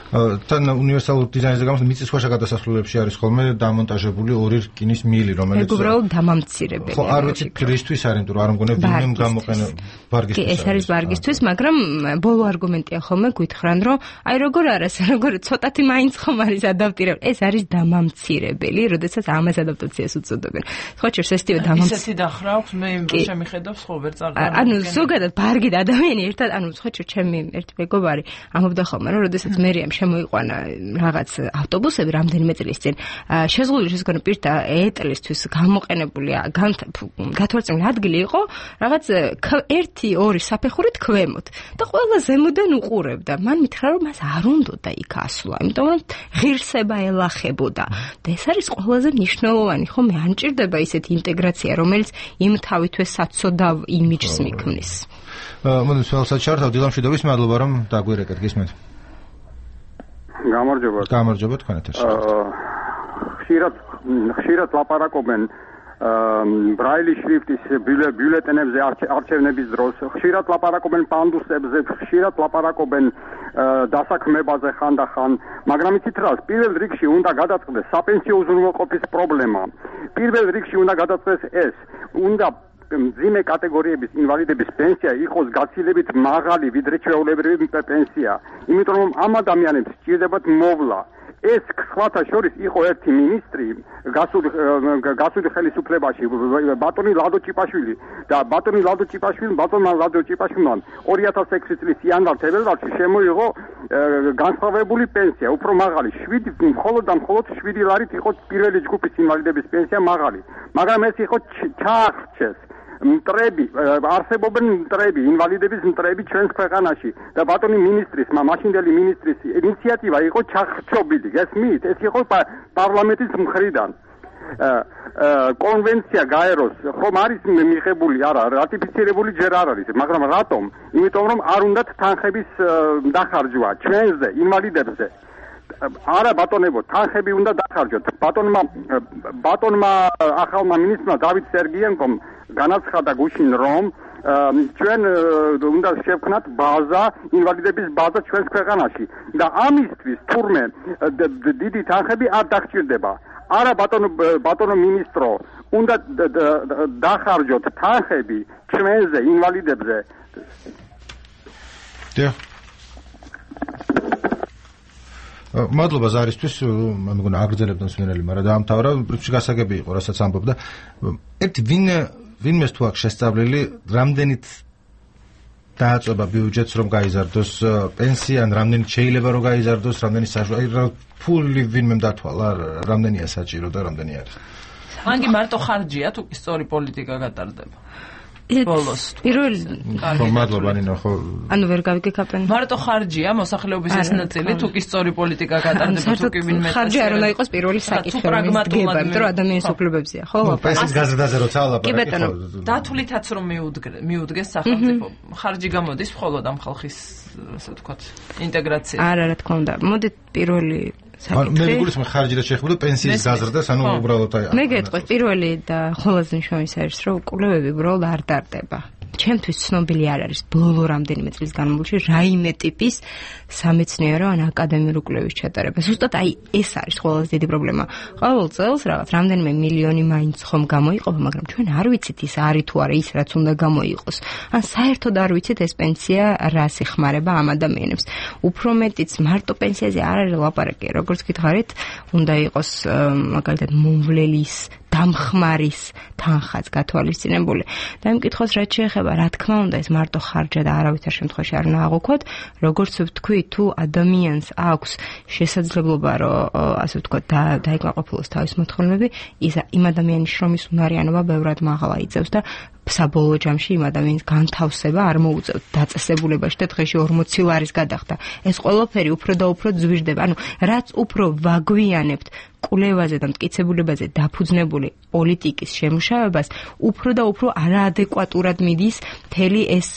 თან უნივერსალურ დიზაინზე გამოს მიწისქვეშა გადასასვლელებში არის ხოლმე დამონტაჟებული ორი რკინის მილი რომელიც უბრალოდ დამამცირებელი ხო არ ვიცი რისთვის არის იმიტომ რომ არ მგონია ვინმე გამოყენა ბარგისთვის ეს არის ბარგისთვის მაგრამ ბოლო არგუმენტია ხოლმე გითხრან რომ აი როგორ არის როგორ ცოტათი მაინც ხომ არის ადაპტირებული ეს არის დამამცირებელი როდესაც ამას ადაპტაციას უწოდებენ ხო ჩერს ესთივე ისეთი დახრავს მე შემიხედავს ხო ვერ წარდგა ანუ ზოგადად ბარგი და ადამიანი ერთად ანუ ხო ჩერ ჩემი ერთი მეგობარი ამბობდა ხოლმე რომ როდესაც მერიამ შემოიყვანა რაღაც ავტობუსები რამდენიმე წლის წინ შეზღუდული შესაძლებელი პირთა ეტლისთვის გამოყენებული გათვალისწინებული ადგილი იყო რაღაც 1-2 საფეხურით ქვემოთ და ყველა ზემოდან უყურებდა მან მითხრა რომ მას არ უნდოდა იქ ასვლა იმიტომ რომ ღირსება ელახებოდა და ეს არის ყველაზე მნიშვნელოვანი ხო მე არ მჭირდება ისეთი ინტეგრაცია რომელიც იმ თავითვე საცოდავ იმიჯს მიქმნის მოდით სულსაც ჩართავ დილამშვიდობის მადლობა რომ დაგვირეკეთ გისმენთ გამარჯობა თქვენ ეთერში ხშირად ლაპარაკობენ ბრაილის შრიფტის ბიულეტენებზე არჩევნების დროს ხშირად ლაპარაკობენ პანდუსებზე ხშირად ლაპარაკობენ დასაქმებაზე ხანდახან მაგრამ იცით რა პირველ რიგში უნდა გადაწყდეს საპენსიო უზრუნველყოფის პრობლემა პირველ რიგში უნდა გადაწყდეს ეს უნდა მძიმე კატეგორიების ინვალიდების პენსია იყოს გაცილებით მაღალი ვიდრე ჩვეულებრივი პენსია იმიტომ რომ ამ ადამიანებს სჭირდებათ მოვლა ეს სხვათა შორის იყო ერთი მინისტრი გასული ხელისუფლებაში ბატონი ლადო ჭიპაშვილი და ბატონმა ლადო ჭიპაშვილმა 2006 წლის იანვარ-თებერვალში შემოიღო განსხვავებული პენსია უფრო მაღალი 7 მხოლოდ 7 ლარით იყო პირველი ჯგუფის ინვალიდების პენსია მაღალი მაგრამ ეს იყო ჩაახჩეს მტრები არსებობენ მტრები ინვალიდების მტრები ჩვენს ქვეყანაში და ბატონი მინისტრის მაშინდელი მინისტრის ინიციატივა იყო ჩახჩობილი გესმით ეს იყო პარლამენტის მხრიდან კონვენცია გაეროს ხომ არის მიღებული არა რატიფიცირებული ჯერ არ არის მაგრამ რატომ იმიტომ რომ არ უნდათ თანხების დახარჯვა ჩვენზე ინვალიდებზე არა ბატონებო თანხები უნდა დახარჯოთ ბატონმა ახალმა მინისტრმა დავით სერგიენკომ განაცხადა გუშინ რომ ჩვენ უნდა შევქმნათ ბაზა ინვალიდების ბაზა ჩვენს ქვეყანაში და ამისთვის თურმე დიდი თანხები არ დაგჭირდება არა ბატონო მინისტრო უნდა დახარჯოთ თანხები ჩვენზე ინვალიდებზე მადლობა ზარისთვის მე მგონა აგრძელებდნენ სვენელი მაგრამ დაამთავრა პრინციპი გასაგები იყო რასაც ამბობდა ერთი ვინმეს თუ აქვს შესწავლილი რამდენით დააწובה ბიუჯეტს რომ გაიზარდოს პენსია ან რამდენით შეიძლება რომ გაიზარდოს რამდენი ფული ვინმე დათვალა რამდენია საჭირო და რამდენი არის მან კი მარტო ხარჯია თუ კი სწორი პოლიტიკა გატარდება ბოლოს პირველ მადლობა ნინო ხო ანუ ვერ გავიგეკაპენ მარტო ხარჯია მოსახლეობის ეს ნაწილი თუ კი სწორი პოლიტიკა გატარდება თუ კი ვინმე ხარჯი არ უნდა იყოს პირველი საკითხი რომ დგება იმიტომ რომ ადამიანის უფლებებზია ხო პენსიის გაზრდაზე როცა ლაპარაკი დათვლითაც რომ მიუდგეს სახელმწიფო ხარჯი გამოდის მხოლოდ ამ ხალხის ასე ვთქვათ ინტეგრაცია არა რა თქმა უნდა მოდით პირველი საკითხი. მე გულისხმობ ხარჯი და შეეხება პენსიის გაზრდას, ანუ უბრალოდ აი. მე გეტყვი პირველი და ყველაზე მნიშვნელოვანი არის, რომ კვლევები უბრალოდ არ დარდება. ჩემთვის ცნობილი არ არის ბოლო რამდენიმე წლის განმავლობაში რაიმე ტიპის სამეცნიერო ან აკადემიური კვლევის ჩატარება. ზუსტად აი ეს არის ყველაზე დიდი პრობლემა. ყოველ წელს რაღაც რამდენიმე მილიონი მაინც ხომ გამოიყოფა, მაგრამ ჩვენ არ ვიცით ის არის თუ არა ის რაც უნდა გამოიყოს. ან საერთოდ არ ვიცით ეს პენსია რას ეხმარება ამ ადამიანებს. უფრო მეტიც მარტო პენსიაზე არ არის ლაპარაკი, როგორც გითხარით, უნდა იყოს მაგალითად მომვლელის დამხმარის თანხაც გათვალისწინებული. და იმ კითხვას რაც შეეხება, რა თქმა უნდა, ეს მარტო ხარჯა და არავითარ შემთხვევაში არ უნდა აღვქვათ, როგორც ვთქვი, თუ ადამიანს აქვს შესაძლებლობა, რომ ასე ვთქვათ, დაიკმაყოფილოს თავის მოთხოვნები, იმ ადამიანის შრომის უნარიანობა ბევრად მაღლა იწევს და საბოლოო ჯამში იმ ადამიანის განთავსება არ მოუწევთ დაწესებულებაში და დღეში 40 ლარის გადახდა. ეს ყველაფერი უფრო და უფრო ძვირდება. ანუ რაც უფრო ვაგვიანებთ კვლევაზე და მტკიცებულებაზე დაფუძნებული პოლიტიკის შემუშავებას, უფრო და უფრო არაადეკვატურად მიდის მთელი ეს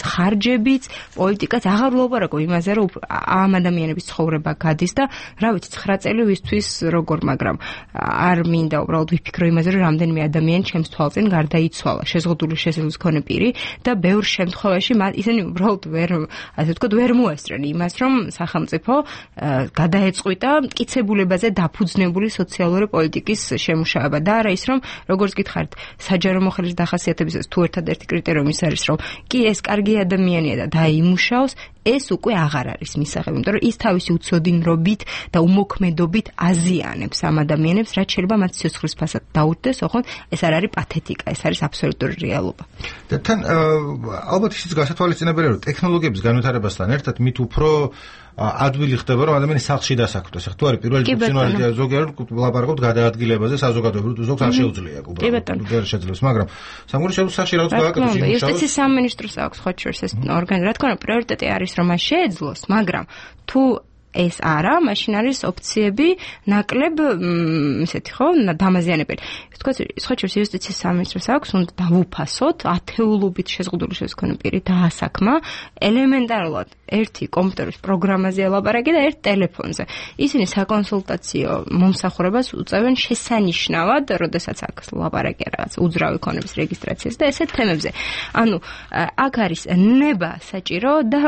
ხარჯებიც, პოლიტიკაც. აღარ ვლაპარაკობ იმაზე, რომ ამ ადამიანების ცხოვრება გადის და რა ვიცი 9 წელი ვისთვის როგორ, მაგრამ არ მინდა უბრალოდ ვიფიქრო იმაზე, რომ რამდენიმე ადამიანი ჩემს თვალწინ გარდაიცვალა. შეზღუდული შესაძლებლობის მქონე პირი და ბევრ შემთხვევაში ისინი უბრალოდ ასე ვთქვათ, ვერ მოესწრენ იმას, რომ სახელმწიფო გადაეწყვიტა მტკიცებულებაზე დაფუძნებული სოციალური პოლიტიკის შემუშავება და არა ის, რომ როგორც გითხარით, საჯარო მოხელის დახასიათებისას თუ ერთადერთი კრიტერიუმი ის არის, რომ კი ეს კარგი ადამიანია და დაიმუშაოს, ეს უკვე აღარ არის მისაღები, იმიტომ რომ ის თავისი უცოდინრობით და უმოქმედობით აზიანებს ამ ადამიანებს, რაც შეიძლება მათ სიცოცხლის ფასად დაუდგეს, ოღონდ ეს არ არის პათეტიკა, ეს არის აბსოლუტური რეალობა. და თან ალბათ ისიც გასათვალისწინებელია, რომ ტექნოლოგიების განვითარებასთან ერთად მით უფრო ადვილი ხდება, რომ ადამიანი სახლში დასაქმდეს. თუ არის პირველი ფუნქციონალიტეტი ზოგიერთ ლაპარაკობთ გადაადგილებაზე, საზოგადოებრივ ზოგს არ შეუძლია უბრალოდ. ვერ შეძლებს, მაგრამ სამგონი სახლში რაღაც გააკეთოს იმუშაოს. იუსტიციის სამინისტროს აქვს ხო შორს ეს ორგანო, რა თქმა უნდა, პრიორიტეტი არის რომ მას შეეძლოს, მაგრამ თუ ეს არა, მაშინ არის ოფციები ნაკლებ ისეთი ხო, დამაზიანებელი. ვთქვათ, სხვაჩერს იუსტიციის სამინისტროს აქვს, უნდა დავუფასოთ ათეულობით შეზღუდული შესაძლებელი პირი დაასაქმა ელემენტარულად ერთი კომპიუტერის პროგრამაზე ელაპარაკი და ერთ ტელეფონზე. ისინი საკონსულტაციო მომსახურებას უწევენ შესანიშნავად, როდესაც აქ ლაპარაკი რაღაც უძრავი ქონების რეგისტრაციაზე და ესეთ თემებზე. ანუ აქ არის ნება საჭირო და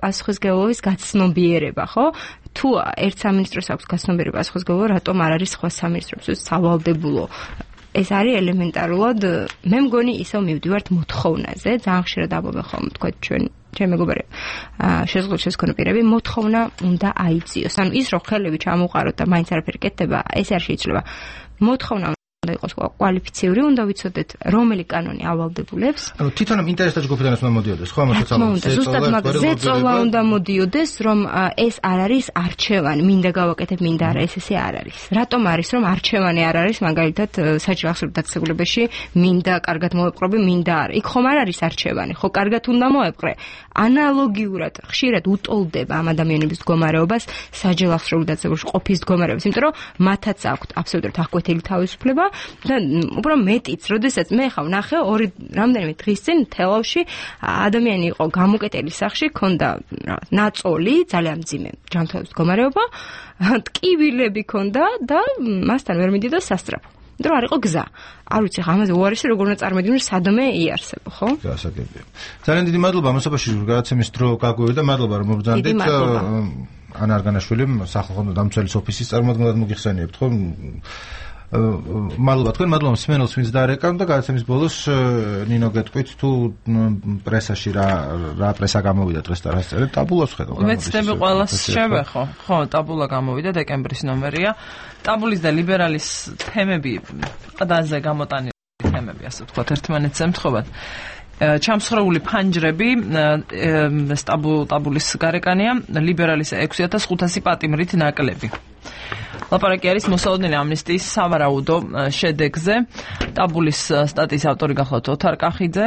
პასუხისმგებლობის გაცნობიერება, ხო? თუ ერთ სამინისტროს აქვს გაცნობიერება პასუხისმგებლობა, რატომ არ არის სხვა სამინისტროსთვის სავალდებულო? ეს არის ელემენტარულად, მე მგონი ისევ მივდივართ მოთხოვნაზე, ძალიან ხშირად ამბობენ ხოლმე, თქვა ჩემი მეგობარი შეზღუდული შესაძლებელი პირები მოთხოვნა უნდა აიწიოს. ანუ ის რომ ხელები ჩამოყაროთ და მაინც არაფერი კეთდება, ეს არ შეიძლება. მოთხოვნა უნდა იყოს კვალიფიციური, უნდა ვიცოდეთ რომელი კანონი ავალდებულებს. ანუ თვითონ ინტერესთა ჯგუფიდან უნდა მოდიოდეს, ხო ამასაც ამბობთ. ზუსტად მაგაზე ზეწოლა უნდა მოდიოდეს, რომ ეს არ არის არჩევანი, მინდა გავაკეთებ, მინდა არა, ესე არ არის. რატომ არის, რომ არჩევანი არ არის, მაგალითად, საჯარო ახსოვებ დაწესებულებაში, მინდა კარგად მოვეპყრობი, მინდა არა. იქ ხომ არ არის არჩევანი, ხო კარგად უნდა მოეპყრე. ანალოგიურად ხშირად უტოლდება ამ ადამიანების მდგომარეობას საჯარო ახსოვებ დაწესებულებაში ყოფის მდგომარეობას, იმიტომ რომ მათაც აქვთ აბსოლუტურად აღკვეთილი თავისუფლება. და უბრალოდ მეტიც, როდესაც მე ხავ ნახე რამდენიმე დღის წინ თელავში ადამიანი იყო გამოკეტელი სახლში, ქონდა ნაწოლი, ძალიან მძიმე ჯანმრთელობის მდგომარეობა, ტკივილები ქონდა და მასთან ვერ მიდიოდა სასწრაფო. იმიტომ რომ არ იყო გზა. არ ვიცი ხა ამაზე უარესი როგორ უნდა წარმოვიდგინო, სადმე იარსებო, ხო? გასაგებია. ძალიან დიდი მადლობა მოსოფაში გადაცემის დრო გაგვივიდა, მადლობა რომ მობრძანდით. ანა არგანაშვილი სახალხო დამცველის ოფისის წარმოადგენლად მოგიხსენიებთ, ხო? მადლობა თქვენ, მადლობა მსმენელს, ვინც დაარეკავ და გადაცემის ბოლოს ნინო გეტყვით თუ პრესაში რა პრესა გამოვიდა დღეს და რა წერეთ, ტაბულას ხედავ. მეცდები ყველას შევე ხო? ხო, ტაბულა გამოვიდა, დეკემბრის ნომერია. ტაბულის და ლიბერალის თემები, ყდაზე გამოტანილი თემები, ასე ვთქვათ, ერთმანეთს ემთხვევათ. ჩამსხრეული ფანჯრები ტაბულის გარეკანია, ლიბერალის 6500 პატიმრით ნაკლები. ლაპარაკი არის მოსალოდნელი ამნისტიის სავარაუდო შედეგზე. ტაბულის სტატიის ავტორი გახლავთ ოთარ კახიძე.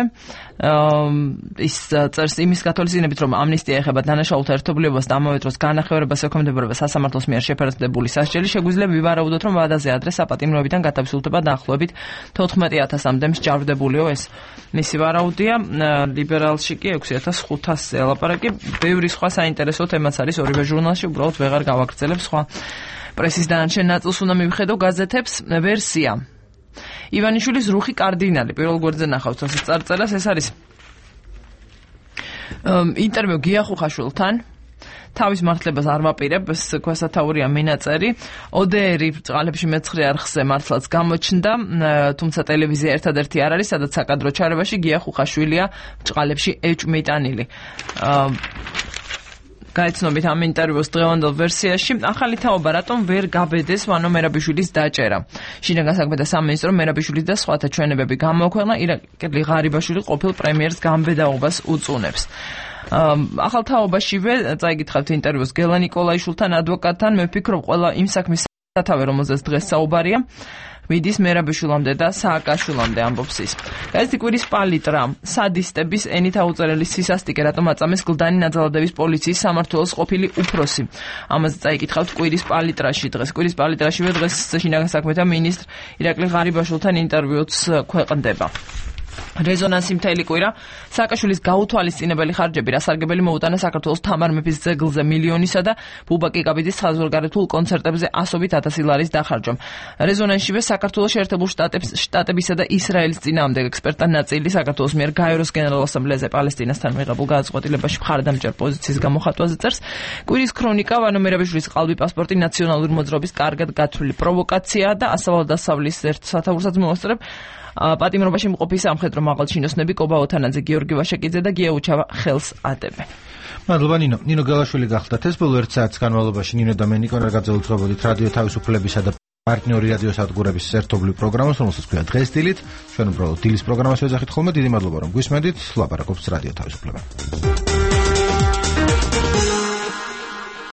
ის წერს იმის გათვალისწინებით, რომ ამნისტია ეხება დანაშაულთა ერთობლიობას და ამავე დროს განახევარებას ექვემდებარება სასამართლოს მიერ შეფერდებული სასჯელი, შეგვიძლია ვივარაუდოთ, რომ ვადაზე ადრე საპატიმროებიდან გადავსულდება დაახლოებით 14,000-მდე მსჯავრდებულიო. ეს მისი ვარაუდია. ლიბერალში კი 6,500 ელაპარაკი. ბევრი სხვა საინტერესო თემაც არის ორივე ჟურნალში, უბრალოდ ვეღარ გავაგრძელებ სხვა პრესის დანარჩენ ნაწილს უნდა მივხედო გაზეთებს. ვერსია ივანიშვილის რუხი კარდინალი პირველ გვერდზე ნახავთ ასე წარწერას. ეს არის ინტერვიუ გია ხუხაშვილთან. თავის მართლებას არ ვაპირებ, ეს ქვესათაურია მინაწერი. ODR-ი ბრძყალებში მეცხრე არხზე მართლაც გამოჩნდა, თუმცა ტელევიზია ერთადერთი არ არის, სადაც საკადრო ჩარევაში გია ხუხაშვილია ბრძყალებში ეჭვმიტანილი. გაიცნობით ამ ინტერვიუს დღევანდელ ვერსიაში. ახალი თაობა რატომ ვერ გაბედეს ვანო მერაბიშვილის დაჭერა. შინაგან საქმეთა სამინისტრო მერაბიშვილის და სხვათა ჩვენებები გამოაქვეყნა, ირაკლი ღარიბაშვილი ყოფილ პრემიერს გამბედაობას უწუნებს. ახალ თაობაშივე წაიგითხავთ ინტერვიუს გელა ნიკოლაიშვილთან ადვოკატთან. მე ვფიქრობ, ყველა იმ საქმის სათავე, რომელზეც დღეს საუბარია, მიდის მერაბიშვილამდე და სააკაშვილამდე, ამბობს ის. ეს კვირის პალიტრა, სადისტების ენით აუწერელი სისასტიკე, რატომ აწამეს გლდანი ნაძალადების პოლიციის სამმართველოს ყოფილი უფროსი. ამაზე წაიკითხავთ კვირის პალიტრაში დღეს. კვირის პალიტრაშივე დღეს შინაგან საქმეთა მინისტრ ირაკლი ღარიბაშვილთან ინტერვიუც ქვეყნდება. რეზონანსი მთელი კვირა სააკაშვილის გაუთვალისწინებელი ხარჯები რასარგებელი მოუტანა საქართველოს თამარ მეფის ძეგლზე მილიონისა და ბუბა კიკაბიძის საზღვარგარეთულ კონცერტებზე 100,000 ლარის დახარჯვამ. რეზონანსშივე საქართველოს შეერთებულ შტატებისა და ისრაელის წინააღმდეგ ექსპერტთა ნაწილი საქართველოს მიერ გაეროს გენერალურ ასამბლეაზე პალესტინასთან მიღებულ გადაწყვეტილებაში მხარდამჭერ პოზიციის გამოხატვაზე წერს. კვირის ქრონიკა ვანო მერაბიშვილის ყალბი პასპორტი ნაციონალური მოძრაობის კარგად გათვლილი პროვოკაციაა და ასავლადასავლის ერთ სათაურსაც მოასწრებ. პატიმრობაში მყოფი სამხედრო მაღალჩინოსნები კობა ოთანაძე, გიორგი ვაშაკიძე და გია უჩავა ხელს ადებენ. მადლობა ნინო გელაშვილი გახლდათ. ეს ბოლო 1 საათის განმავლობაში ნინო და მე ნიკო ნარგაძე უძღვებოდით რადიო თავისუფლებისა და პარტნიორი რადიო სადგურების ერთობლივ პროგრამას, რომელსაც ქვია დღეს დილით. ჩვენ უბრალოდ დილის პროგრამას ვეძახით ხოლმე. დიდი მადლობა რომ გვისმენდით. ლაპარაკობს რადიო თავისუფლება.